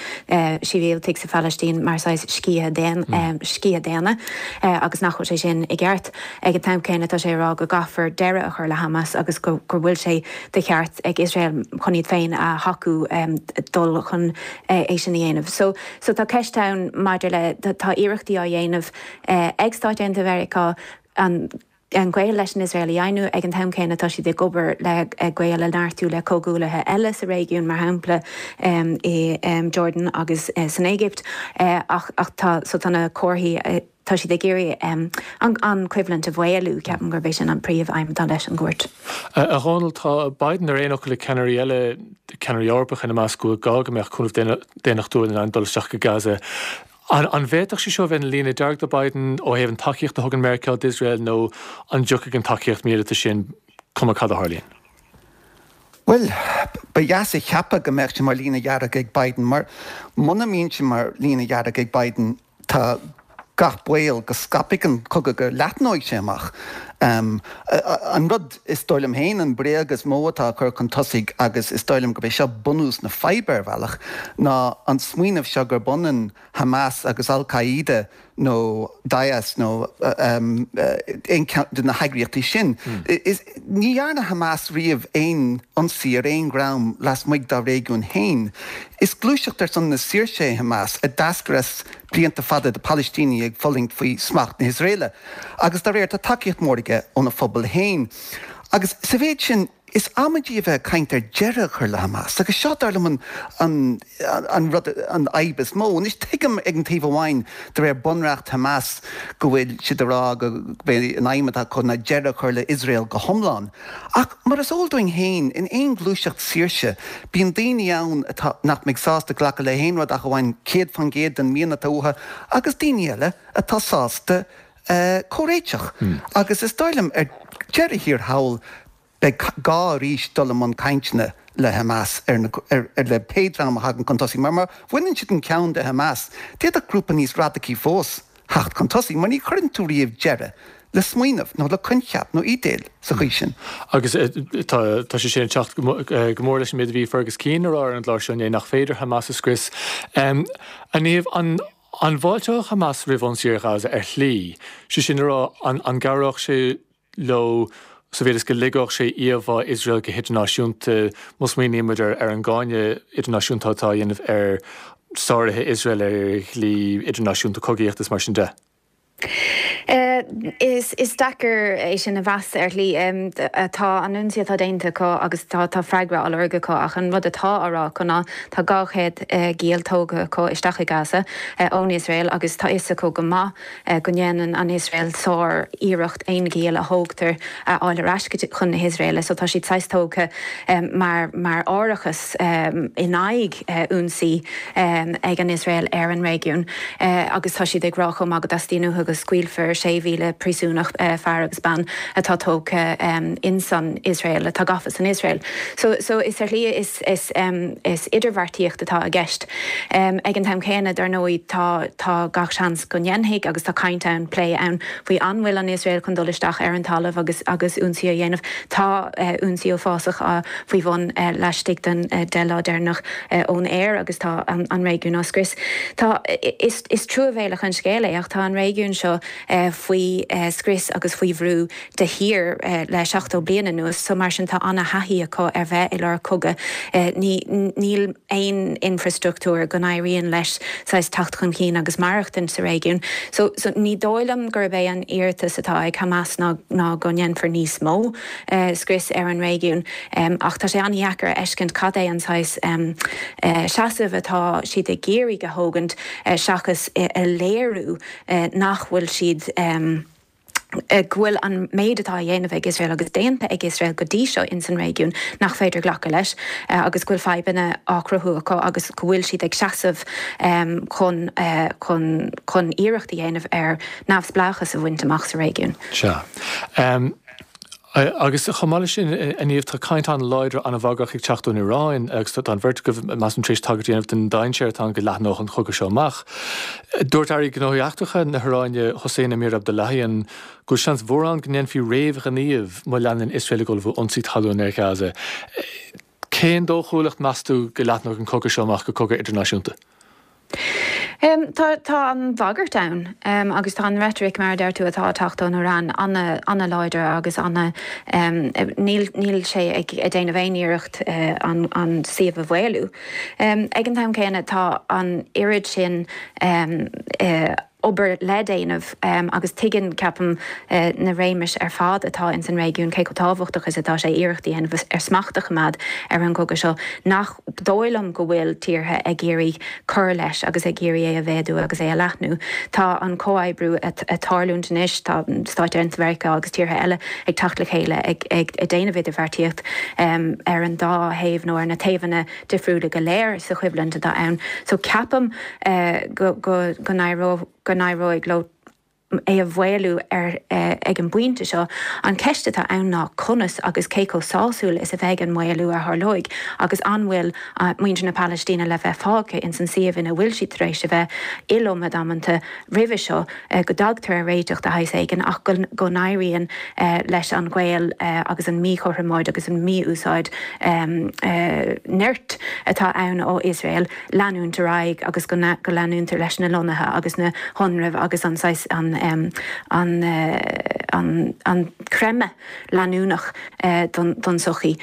S6: sibhialtaigh sa Phalaistín mar saghas sciath sciath daonna agus nach bhfuil sé sin. sin i gceart. Ag an t-am céanna tá sé ag rá go gcaithfear deireadh a chur le Hamas agus go bhfuil sé de cheart ag Iosrael chun iad féin a thacú dul chun é sin a dhéanamh. So so tá ceist ann maidir le tá iarrachtaí á dhéanamh ag Stáit Aontaithe Mheiriceá an an gaol leis an Iosrael a dhoimhniú. Ag an t-am céanna tá siad ag obair le gaol a neartú le comhghuaillithe eile sa réigiún, mar shampla i Jordan agus san Éigipt. Ach ach tá so tá na comharthaí tá siad ag iarraidh an an choimhlint a mhaolú. Ceapaim gurb é sin an príomh-aidhm atá leis an gcuairt.
S1: A Dhónaill, tá Biden ar aon fhocal le ceannairí eile, ceannairí Eorpacha ina measc, go bhfuil gá go mbeadh cúnamh daonnachtúil in ann dul isteach go Gaza. An bhféadfadh sé seo a bheith ina líne dearg do Biden ó thaobh an tacaíocht a thugann Meiriceá d'Iosrael nó an dtiocfaidh an tacaíocht míleata sin cuma cad a tharlaíonn?
S5: Bhuel, ba dheas a cheapadh go mbeadh sé mar líne dhearg ag Biden mar muna mbíonn sé mar líne dhearg ag Biden tá gach baol go scaipfidh an cogadh, go leathnóidh sé amach. An rud is dóigh liom féin, an bréag is mó atá á cur chun tosaigh agus is dóigh liom gurb é seo bunús na faidhbe ar bhealach, ná an smaoineamh seo gurb ionann Hamas agus Al Qaeda nó Daesh nó aon cheann de na heagraíochtaí sin. Ní dhearna Hamas riamh aon ionsaí ar aon dhream lasmuigh dá réigiún féin. Is gluaiseacht ar son na saoirse é Hamas a d'eascair as blianta fada de Phalaistínigh ag fulaingt faoi smacht na hIosraeile. Agus dá réir tá tacaíocht mhór aige óna phobal féin. Agus sa mhéid sin, is amaidí a bheith ag caint ar deireadh a chur le Hamas. Agus seo, dar liom, an an rud, an fhadhb is mó. Anois, tuigim ag an taobh amháin, de réir bunreacht Hamas, go bhfuil siad ag rá gurb é an aidhm atá acu ná deireadh a chur le Iosrael go hiomlán. Ach mar is eol dúinn féin, in aon ghluaiseacht saoirse, bíonn daoine ann atá, nach mbeidh sásta glacadh le haon rud ach amháin 100% den mian atá uathu, agus daoine eile atá sásta comhréiteach. Agus is dóigh liom, ar deireadh thiar thall, beidh gá arís dul i mbun cainteanna le Hamas ar na, ar, le pé dream a thagann chun tosaigh. Mar má bhaineann siad an ceann de Hamas, d'fhéadfadh grúpa níos radacaí fós theacht chun tosaigh, mar ní chuireann tú riamh deireadh le smaoineamh nó le coincheap nó idéal sa chaoi sin.
S1: Agus tá, tá sé sin ag teacht go mór leis an méid a bhí Fergus Keane a rá ar an gclár seo inné, nach féidir Hamas a scrios. A Niamh, an. An bhfáilteodh Hamas roimh ionsaí ar Ghaza ar shlí, sé sin a rá, an an gcabhródh sé leo sa mhéid is go ligfeadh sé íomhá Iosrael go hidirnáisiúnta, má smaoinímid ar ar an gcáineadh idirnáisiúnta atá á dhéanamh ar sáruithe Iosrael ar dhlí idirnáisiúnta cogaíochta is mar sin de?
S6: Is deacair é sin a mheas ar shlí. Tá an ionsaí atá déanta acu agus tá freagra á lorg acu ach an rud atá á rá acu ná tá 200 giall tógtha acu isteach i Gaza ón Iosrael agus tá fhios acu go maith go ndéanann an Iosrael sár iarracht aon ghiall a thógtar a fháil ar ais chun na hIosraeile so tá siad saghas tógtha mar mar árachas in aghaidh ionsaí ag an Iosrael ar an réigiún agus tá siad ag rá chomh maith go dteastaíonn uathu go scaoilfear 6,000 príosúnach, fear agus bean, atá tógtha insan Iosrael, atá gafa san Iosrael. So, so is ar shlí is, is, is idirbheartaíocht atá i gceist. Ag an t-am céanna, dar ndóigh, tá, tá gach seans go ndéanfaidh agus tá caint ann, plé ann faoi an bhfuil an Iosrael chun dul isteach ar an talamh agus, agus ionsaí a dhéanamh. Tá ionsaí uafásach á faoi bhun laistigh den 10 lá deireanach ón aer agus tá an réigiún á scrios. Tá, is truamhéalach an scéal é ach tá an réigiún seo faoi scrios agus faoi bhrú de shíor le 70 bliain anuas so mar sin tá ana-thaithí acu ar bheith i lár cogadh. Ní, níl aon infreastruchtúr go n-éiríonn leis saghas teacht chun cinn agus maireachtaint sa réigiún. So, so ní dóigh liom gurb é an iarratas atá ag Hamas ná, ná go ndéanfar níos mó. scrios ar an réigiún ach tá sé an-dheacair a fheiscint cad é an saghas seasamh atá siad ag iarraidh a thógaint seachas a léiriú nach bhfuil siad go bhfuil an méid atá á dhéanamh ag Iosrael agus déanta ag Iosrael go dtí seo ins an réigiún nach féidir glacadh leis agus go bhfuil fadhbanna á cruthú acu agus go bhfuil siad ag seasamh chun chun chun iarracht a dhéanamh ar neamhspleáchas a bhaint amach sa réigiún.
S1: Sea. Agus chomh maith leis sin, a Niamh, tá caint an-láidir, an-bhagrach ag teacht ón Iaráin agus tá an bheirt agaibh, measaim, tar éis tagairt a dhéanamh don dainséar atá ann go leathnódh an cogadh seo amach. Dúirt Aire Gnóthaí Eachtracha na hIaráine, Hossein Amir-Abdollahian, go bhfuil seans mhór ann go ndéanfaí réamhghníomh má leanann Iosrael ag ullmhú ionsaí talún ar Ghaza. Cén dóchúlacht, meas tú, go leathnóidh an cogadh seo amach go cogadh idirnáisiúnta?
S6: Tá, tá an bhagairt ann agus tá an reitric, mar a deir tú, atá ag teacht ón Iaráin an-láidir agus ana, níl, níl sé ag déanamh aon iarracht an, an suíomh a mhaolú. Ag an t-am céanna tá an oiread sin obair le déanamh agus tuigeann, ceapaim, na réimis ar fad atá ins an réigiún cé chomh tábhachtach is atá sé iarracht a dhéanamh ar smacht a choimeád ar an gcogadh seo, nach dóigh liom go bhfuil tíortha ag iarraidh cur leis agus ag iarraidh é a mhéadú agus é a leathnú. Tá an comhoibriú ag tarlúint anois, tá Stáit Aontaithe Mheiriceá agus tíortha eile ag teacht le chéile ag déanamh idirbheartaíocht ar an dá thaobh nó ar na taobhanna difriúla go léir sa choimhlint atá ann. So ceapaim go go n-éireoidh leo é a mhaolú ar ag an bpointe seo. An cheist atá ann ná conas agus cé chomh sásúil is a bheidh an maolú a tharlóidh agus an bhfuil muintir na Palaistíne le bheith fágtha ins an suíomh ina bhfuil siad tar éis a bheith iliomad amanta roimhe seo, go dtagtar ar réiteach de shaghas éigin ach go n-éiríonn leis an gbaol agus an mhíchothromóid agus an mhí-úsáid nirt atá ann ó Iosrael leanúint ar aghaidh agus go leanúntar leis na lonnaithe agus na hionraimh agus an saghas an an an creimeadh leanúnach don tsochaí.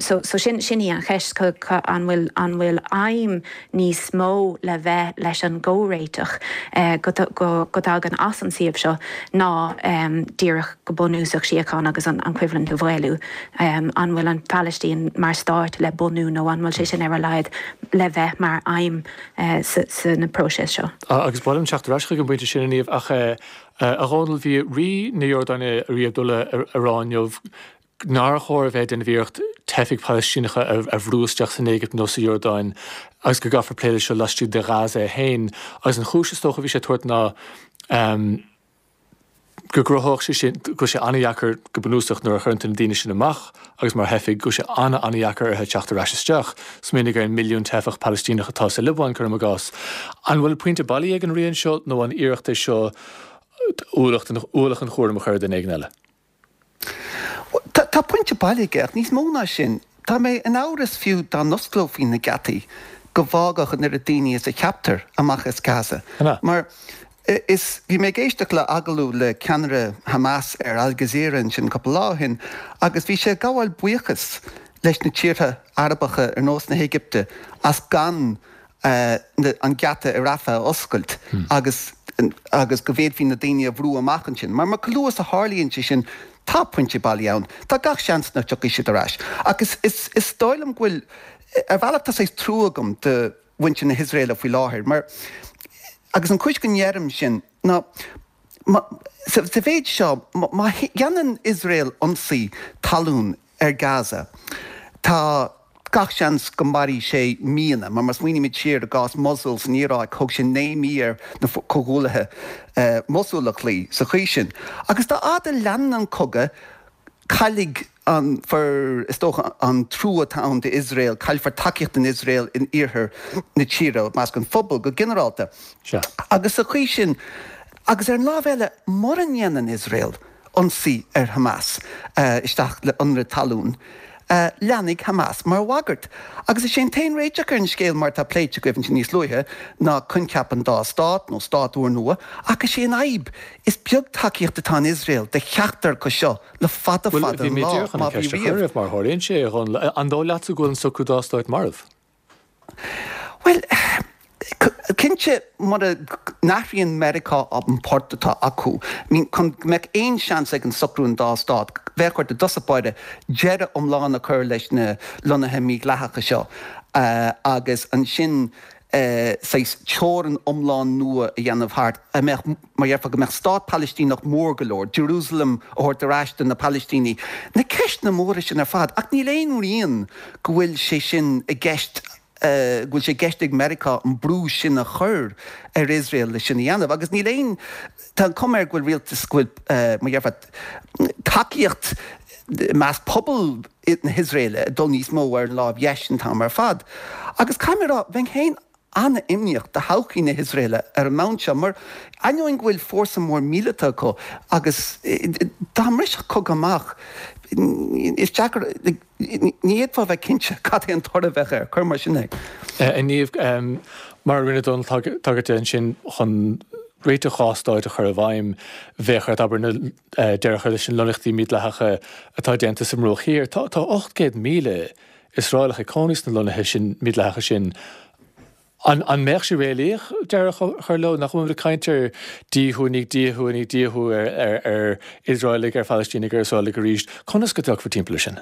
S6: So sin sin í an cheist, an bhfuil an bhfuil aidhm níos mó le bheith leis an gcomhréiteach go dtagann as an suíomh seo ná díreach go bunúsach síocháin agus an choimhlint a mhaolú. An bhfuil an Phalaistín mar stát le bunú nó an bhfuil sé sin ar a laghad le bheith mar aidhm sa na próiseas seo?
S1: Agus ba mhaith liom teacht ar ais chuig an bpointe sin, a Niamh, ach a Dhónaill, bhí Rí na Iordáine, Rí Abdullah, ag rá inniu nár chóir a bheith ag déanamh iarracht teifigh Phalaistíneacha a bhrú isteach san Éigipt nó sa Iordáin agus go gcaithfear plé leis seo laistigh de Ghaza féin. Agus an chúis is dócha a bhí sé ag tabhairt ná go gcruthódh sé sin, go bhfuil sé an-dheacair go bunúsach nuair a chuireann tú na daoine sin amach agus mar theifigh, go bhfuil sé an-an-dheacair orthu teacht ar ais isteach. Smaoinigh ar an milliún teifeach Palaistíneach atá sa Liobáin, cuirim i gcás. An bhfuil pointe bailí ag an Rí anseo nó an iarracht é seo ualach an chúraim a chur ar dhuine éigin eile?
S5: Tá pointe bailí aige, ach níos mó ná sin, tá mé in amhras fiú dá n-osclófaí na geataí go bhfágfadh an oiread daoine is a cheaptar amach as Gaza. Mar is, bhí mé ag éisteacht le agallamh le ceannaire Hamas ar Al Jazeera ansin cúpla lá ó shin agus bhí sé ag gabháil buíochas leis na tíortha Arabacha ar nós na hÉigipte as gan an geata i Rafah a oscailt agus agus go bhféadfaí na daoine a bhrú amach ansin. Mar chomh luath is a tharlaíonn sé sin, tá pointe bailí ann. Tá gach seans nach dtiocfaidh siad ar ais. Ach is, is, is dóigh liom go bhfuil, ar bhealach tá saghas trua agam do mhuintir na hIosraeile faoi láthair mar, agus an chúis go ndeirim sin ná, sa mhéid seo, má dhéanann Iosrael ionsaí talún ar Gaza, tá gach seans go mairfidh sé míonna, mar má smaoinímid siar i gcás Mosul san Iaráic, thóg sé 9 mí ar na Comhghuaillithe Mosul a chloí sa chaoi sin. Agus dá fhad a leanann an cogadh, caillfidh an fur, is dócha, an trua atá ann d'Iosrael, caillfear tacaíocht don Iosrael in iarthar na tíre, i measc an phobail go ginearálta. Agus sa chaoi sin, agus ar an lámh eile, mura ndéanann Iosrael ionsaí ar Hamas isteach le ionradh talún, leanfaidh Hamas mar bhagairt. Agus is é an t-aon réiteach ar an scéal, mar atá pléite agaibh ansin níos luaithe, ná coincheap an dá stát, nó stát úrnua, ach is é an fhadhb, is beag tacaíocht atá in Iosrael do cheachtar acu seo le fada
S1: Bhuel,
S5: fada
S1: bhí
S5: an
S1: mé
S5: lá,
S1: díreach chun
S5: má
S1: an
S5: bhí
S1: ceist a chur
S5: riamh.
S1: oraibh, mar a tharlaíonn sé, a Dhónaill. An dóigh leatsa go bhfuil an socrú dá stáit marbh?
S5: Bhuel, cinnte, mura n-athraíonn Meiriceá an port atá acu, I mean, chun go mbeadh aon seans ag an socrú an dá stát, bheadh ort i dtosach báire deireadh iomlán a chur leis na lonnaithe mídhleathacha seo agus ansin saghas teorainn iomlán nua a dhéanamh thart a mbeadh, mar dhéarfá, go mbeadh stát Palaistíneach mór go leor, Jerusalem a thabhairt ar ais do na Palaistínigh, na ceisteanna móra sin ar fad. Ach níl aon rian go bhfuil sé sin i gceist, go bhfuil sé i gceist ag Meiriceá an brú sin a chur ar Iosrael le sin a dhéanamh. Agus níl aon, tá an chuma air go bhfuil rialtas, go bhfuil, mar dhéarfá, tacaíocht i measc pobal na hIosraeile ag dul níos mó ar an láimh dheis an t-am ar fad. Agus caithfidh mé a rá, bheinn féin. An-imníoch do thodhchaí na hIosraeile ar an mbonn seo, mar ainneoin go bhfuil fórsa mór míleata acu agus dá mbrisfeadh cogadh amach, is deacair, ní fhéadfá a bheith cinnte cad é an toradh a bheadh air, cuir mar sin é.
S1: A Niamh, mar a rinne Dónal tagairt de ansin, chun réiteach 2 stáit a chur i bhfeidhm, bheadh ort, abair, na deireadh a chur leis na lonnaíochtaí mídhleathacha atá déanta sa mBruach Thiar. Tá 800,000 Iosraelach ag cónaí sna lonnaithe sin mídhleathacha sin. An mbeadh sé réalaíoch deireadh a chur leo? Nach bhfuil muid ag caint ar díothú i ndiaidh díothú i ndiaidh díothú ar Iosraelaigh, ar Phalaistínigh, ar Iosraelaigh arís? Conas go dtiocfar timpeall air sin?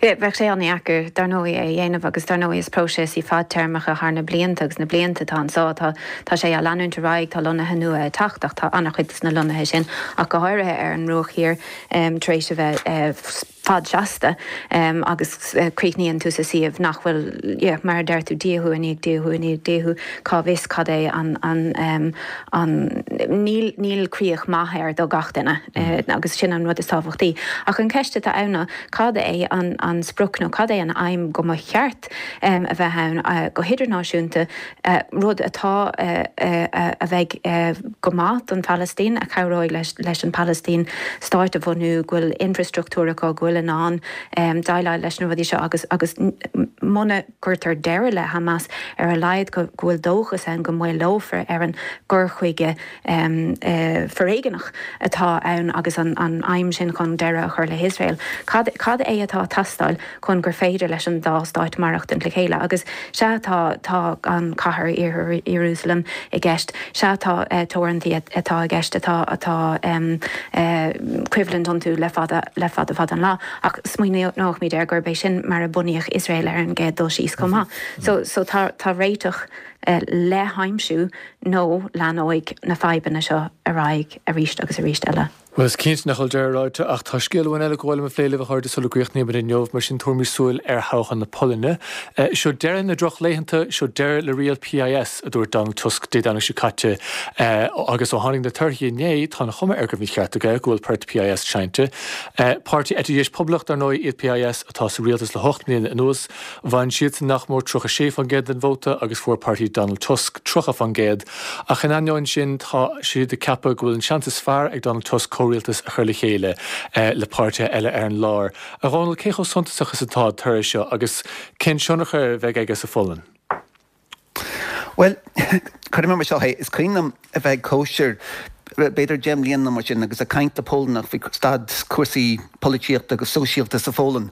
S6: Bheadh sé an-dheacair, dar ndóigh, é a dhéanamh agus dar ndóigh is próiseas í fadtéarmacha thar na blianta agus na blianta atá anso. Tá tá sé á leanúint ar aghaidh, tá lonnaithe nua ag teacht ach tá an-chuid de na lonnaithe sin, ach go háirithe ar an mBruach Thiar, tar éis a bheith fad seasta agus críochnaíonn tú sa suíomh nach bhfuil, yeah, mar a deir tú, díothú i ndiaidh díothú i ndiaidh díothú, cá bhfios cad é an, an, an, níl, níl críoch maith air do gach duine agus sin an rud is tábhachtaí. Ach an ceist atá ann ná cad é an, an sprioc nó cad é an aidhm go mba cheart a bheith ann go hidirnáisiúnta, rud atá, a bheidh go maith don Phalaistín, a chabhróidh leis an Phalaistín stáit a bhunú, go bhfuil infreastruchtúr acu, go bhfuil in ann déileáil leis na rudaí seo agus agus muna gcuirtear deireadh le Hamas, ar a laghad go bhfuil dóchas ann go maolófar ar an gcur chuige foréigeanach atá ann agus an aidhm sin chun deireadh a chur le hIosrael. Cad cad é atá ag teastáil chun gur féidir leis an dá stáit maireachtaint le chéile? Agus sea, tá tá an cathair Iarthar Iarúsailéim i gceist. Sea, tá teorannacha atá i gceist atá atá coimhlint iontu le fada le fada fada an lá. Ach smaoineoimid air gurb é sin mar a bunaíodh Iosrael ar an gcéad dul síos chomh maith. So so tá tá réiteach le haimsiú nó leanóidh na fadhbanna seo ar aghaidh arís agus arís eile.
S1: Bhuel, is cinnte nach bhfuil deireadh ráite, ach tá scéal amháin eile gur mhaith liom a phlé libh, a chairde, sula gcríochnaímid inniu, mar sin tabharfaimid súil ar thoghchán na Polainne. Seo deireadh na drochlaethanta, seo deireadh le riail PIS, a dúirt Donald Tusk Dé Domhnaigh seo caite, agus ó tháinig na torthaí inné, tá an chuma air go raibh an ceart aige, go bhfuil port PIS seinnte. Páirtí eite dheis poblach, dar ndóigh, iad PIS, atá sa rialtas le hocht mbliana anuas. Bhain siadsan nach mór 36% den vóta agus fuair páirtí Donald Tusk 30%. Ach in ainneoin sin, tá siad ag ceapadh go bhfuil an seans is fearr ag Donald Tusk comhrialtas a chur le chéile le páirtithe eile ar an lár. A Dhónaill, cé chomh suntasach is atá an toradh seo agus cén tionchar a bheidh aige sa Pholainn?
S5: Bhuel, cuirfidh mé mar seo é, is cuimhin liom a bheith ag cóisir b'fhéidir 10 mbliana nó mar sin agus ag caint le Polannach faoi staid cúrsaí polaitíochta agus sóisialta sa Pholainn.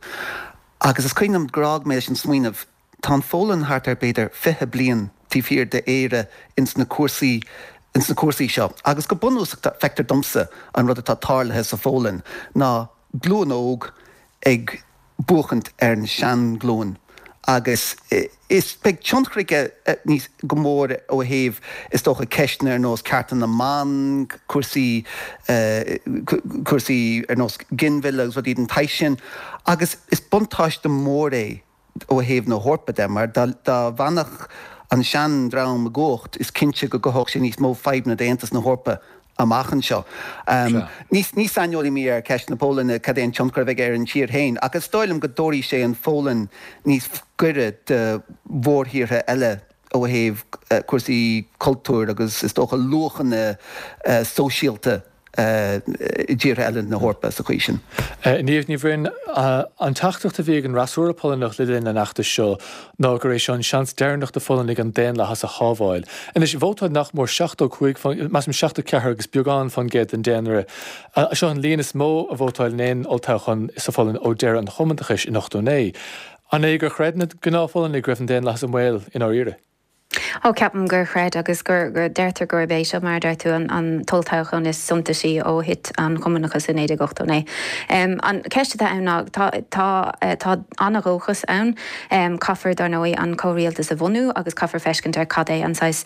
S5: Agus is cuimhin liom gur fhág mé leis an smaoineamh, tá an Pholainn thart ar b'fhéidir 20 bliain taobh thiar d'Éire ins na cúrsaí, ins na cúrsaí seo. Agus go bunúsach feictear domsa an rud atá tarlaithe sa Pholainn ná glúin óg ag buachaint ar an seanghlúin agus is beidh tionchar aige níos, go mór ó thaobh is dócha ceisteanna ar nós cearta na mban, cúrsaí, cúrsaí ar nós ginmhilleadh agus rudaí den tsaghas sin agus is buntáiste mór é ó thaobh na hEorpa de mar dá bhfanfadh an sean-dream i gcumhacht is cinnte go gcothódh sé níos mó fadhbanna d'Aontas na hEorpa amach anseo. Ní saineolaí mé ar cheist na Polainne, cad é an tionchar a bheidh ar an tír féin, ach is dóigh liom go dtabharfaidh sé an Pholainn níos gaire do mhórthíortha eile ó thaobh cúrsaí cultúir agus is dócha luachanna sóisialta i dtíortha eile na hEorpa sa chaoi sin.
S1: Niamh Ní Bhroin, An teachtaireacht a bhí ag an fhreasúra Polannach le linn an fheachtais seo ná gur é seo an seans deireanach do Pholannaigh an daonlathas a shábháil. Anois, vótáil nach mór 75, measaim 74 agus beagán fán gcéad den daonra. Seo an líon is mó a vótáil in aon olltoghchán sa Pholainn ó deireadh an chumannachais in 89. An é gur chreid na gnáth-Pholannaigh go raibh an daonlathas i mbaol i ndáiríre?
S6: Ó, ceapaim gur chreid agus gur, deirtear gurb é seo, mar a deir tú, an t-olltoghchán is suntasaí ó thit an cumannachas i 1989. An cheist atá ann ná, tá, tá, tá an-dhóchas ann. Caithfear, dar ndóigh, an comhrialtas a bhunú agus caithfear feiscint ar cad é an saghas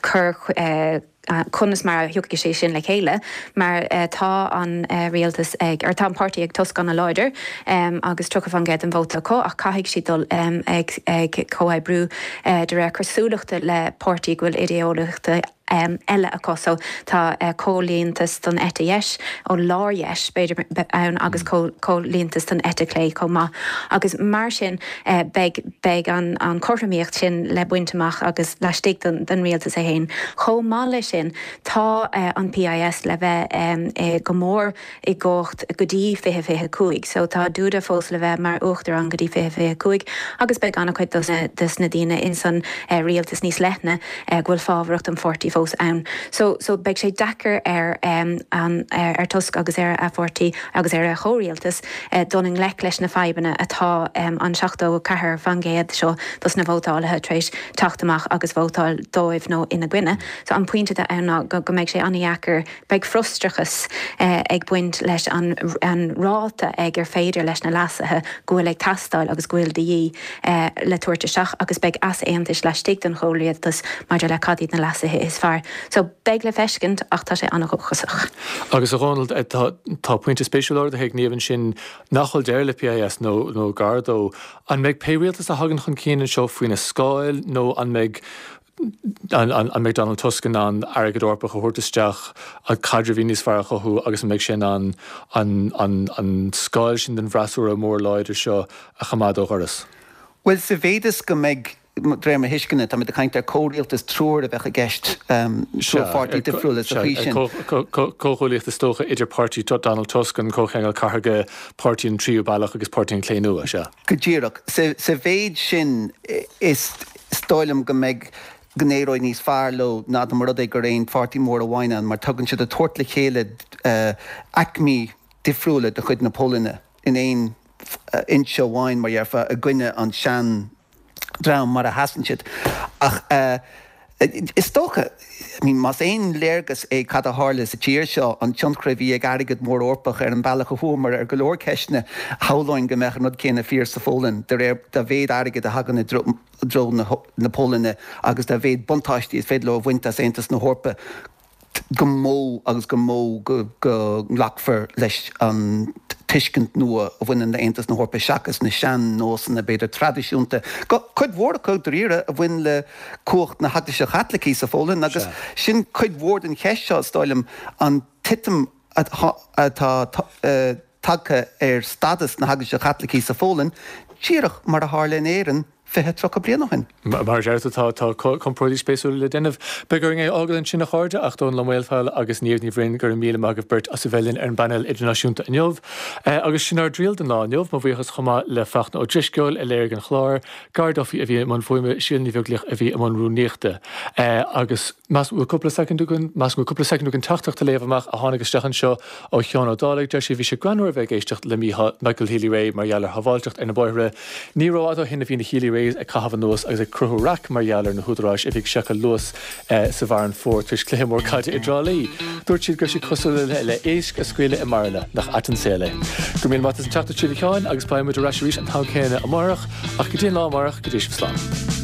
S6: cur, conas mar a thiocfaidh sé sin le chéile mar tá an rialtas ag, or tá an páirtí ag Tusk an-láidir agus 30% den vóta acu ach caithfidh siad dul ag ag comhoibriú de réir cosúlachta le páirtí go bhfuil idé-eolaíochta. Eile acu. So tá comhaontas don eite dheis, ó lár-dheis b'fhéidir, ann agus comhaontas don eite chlé chomh maith. Agus mar sin beidh beidh an an chothromaíocht sin le baint amach agus laistigh den den rialtas é féin. Chomh maith leis sin tá an PIS le bheith go mór i gcumhacht go dtí 2025. So tá Duda fós le bheith mar uachtarán go dtí 2025 agus beidh an-chuid dos na dos na daoine ins an rialtas níos leithne go bhfuil fábharach don pháirtí fós ann. So so beidh sé deacair ar an ar Tusk agus ar a pháirtí agus ar a chomhrialtas dul i ngleic leis na fadhbanna atá an 74% seo dos na vótálaithe tar éis teacht amach agus vótáil dóibh nó ina gcoinne. So an pointe atá ann ná go go mbeidh sé an-dheacair Beidh frustrachas ag baint leis an ráta ag ar féidir leis na leasuithe go bhfuil ag teastáil agus go bhfuil de dhíth le tabhairt isteach agus beidh easaontais laistigh den chomhrialtas maidir le cad iad na leasuithe is fearr. So, beidh le feiscint ach tá sé an-dhóchasach.
S1: Agus a Dhónaill, tá pointe spéisiúil ardaithe ag Niamh ansin nach bhfuil deireadh le PIS nó nó gar dó. An mbeidh pé rialtas a thagann chun cinn anseo faoina scáil nó an mbeidh An mbeidh Donald Tusk in ann airgead Eorpach a thabhairt isteach, caidrimh níos fearr a chothú agus an mbeidh sé in ann an scáil sin den bhfreasúra mór láidir seo a choimeád ó dhoras?
S5: Bhuel, sa mhéid is go mbeidh, de réir mo thuisceana, táimid ag caint ar comhrialtas triúir a bheadh i gceist, triúr pháirtí difriúla sa chaoi sin.
S1: Comhghuaillíocht is dócha idir páirtí Donald Tusk, an Comhcheangal Cathartha, Páirtí an Tríú Bealach agus Páirtí an Chlé Nua, sea.
S5: Go díreach. Sa mhéid sin, is dóigh liom go mbeidh, go n-éireoidh níos fearr leo ná dá mba rud é gur aon pháirtí mór amháin ann mar tugann siad ag tabhairt le chéile aicmí difriúla de chuid na Polainne in aon fhoinse amháin, mar dhéarfá, i gcoinne an sean dream mar a sheasann siad. Ach is dócha, I mean, más aon léargas é cad a tharla sa tír seo, an tionchar a bhí ag airgead mór Eorpach ar an bhealach a chuamar ar go leor ceisteanna, shamhlóinn go mbeadh an rud céanna fíor sa Pholainn, de réir dá mhéad airgid a thagann i dtreo na Polainne agus dá mhéad buntáistí is féidir leo a bhaint as Aontas na hEorpa. go mó agus go mó go nglacfar leis an tuiscint nua a bhaineann le Aontas na hEorpa seachas na sean-nósanna, b'fhéidir, traidisiúnta, cuid mhór acu, dáiríre, a bhain le cumhacht na hEaglaise Chaitlicí sa Pholainn agus sin cuid mhór den cheist seo, is dóigh liom, an titim atá tagtha ar stádas na hEaglaise Chaitlicí sa Pholainn, díreach mar a tharla in Éirinn 20, 30 bliain ó shin.
S1: Mar a deir tú, tá comparáidí spéisiúla le déanamh. Beidh orainn é a fhágáil ansin, a chairde, ach Dónall Ó Maolfabhail agus Niamh Ní Bhroin, go raibh míle maith agaibh beirt as a bheith linn ar an bpainéal idirnáisiúnta inniu. Agus sin ár dtriail don lá inniu. Mo bhuíochas chomh maith le Fachtna Ó Drisceoil a léirigh an clár, Gar Duffy a bhí i mbun fuaime, Síle Ní Bheaglaoich a bhí i mbun rúnaíochta. Agus measaim go bhfuil cúpla soicind againn, measaim go bhfuil cúpla soicind againn teachtaireacht a léamh amach a tháinig isteach anseo ó Sheán Ó Dálaigh. Deir sé, bhí sé greannmhar a bheith ag éisteacht le Michael Healy-Rae mar gheall ar shábháilteacht ar na bóithre. Ní rófhada ó shin a bhí na Healy-Raes ag caitheamh anuas agus ag cruthú raic mar gheall ar na húdaráis a bhí ag seiceáil luas sa bhFearann Fómhair tar éis cluiche mór caide i dTrá Lí. Dúirt siad go raibh sé cosúil le éisc a scaoileadh i mbairille. Nach ait an saol é. Go raibh míle maith as an teacht a Sheáin agus beidh muid ar ais arís an t-am céanna amárach ach go dtí an lá amárach go dté sibh slán.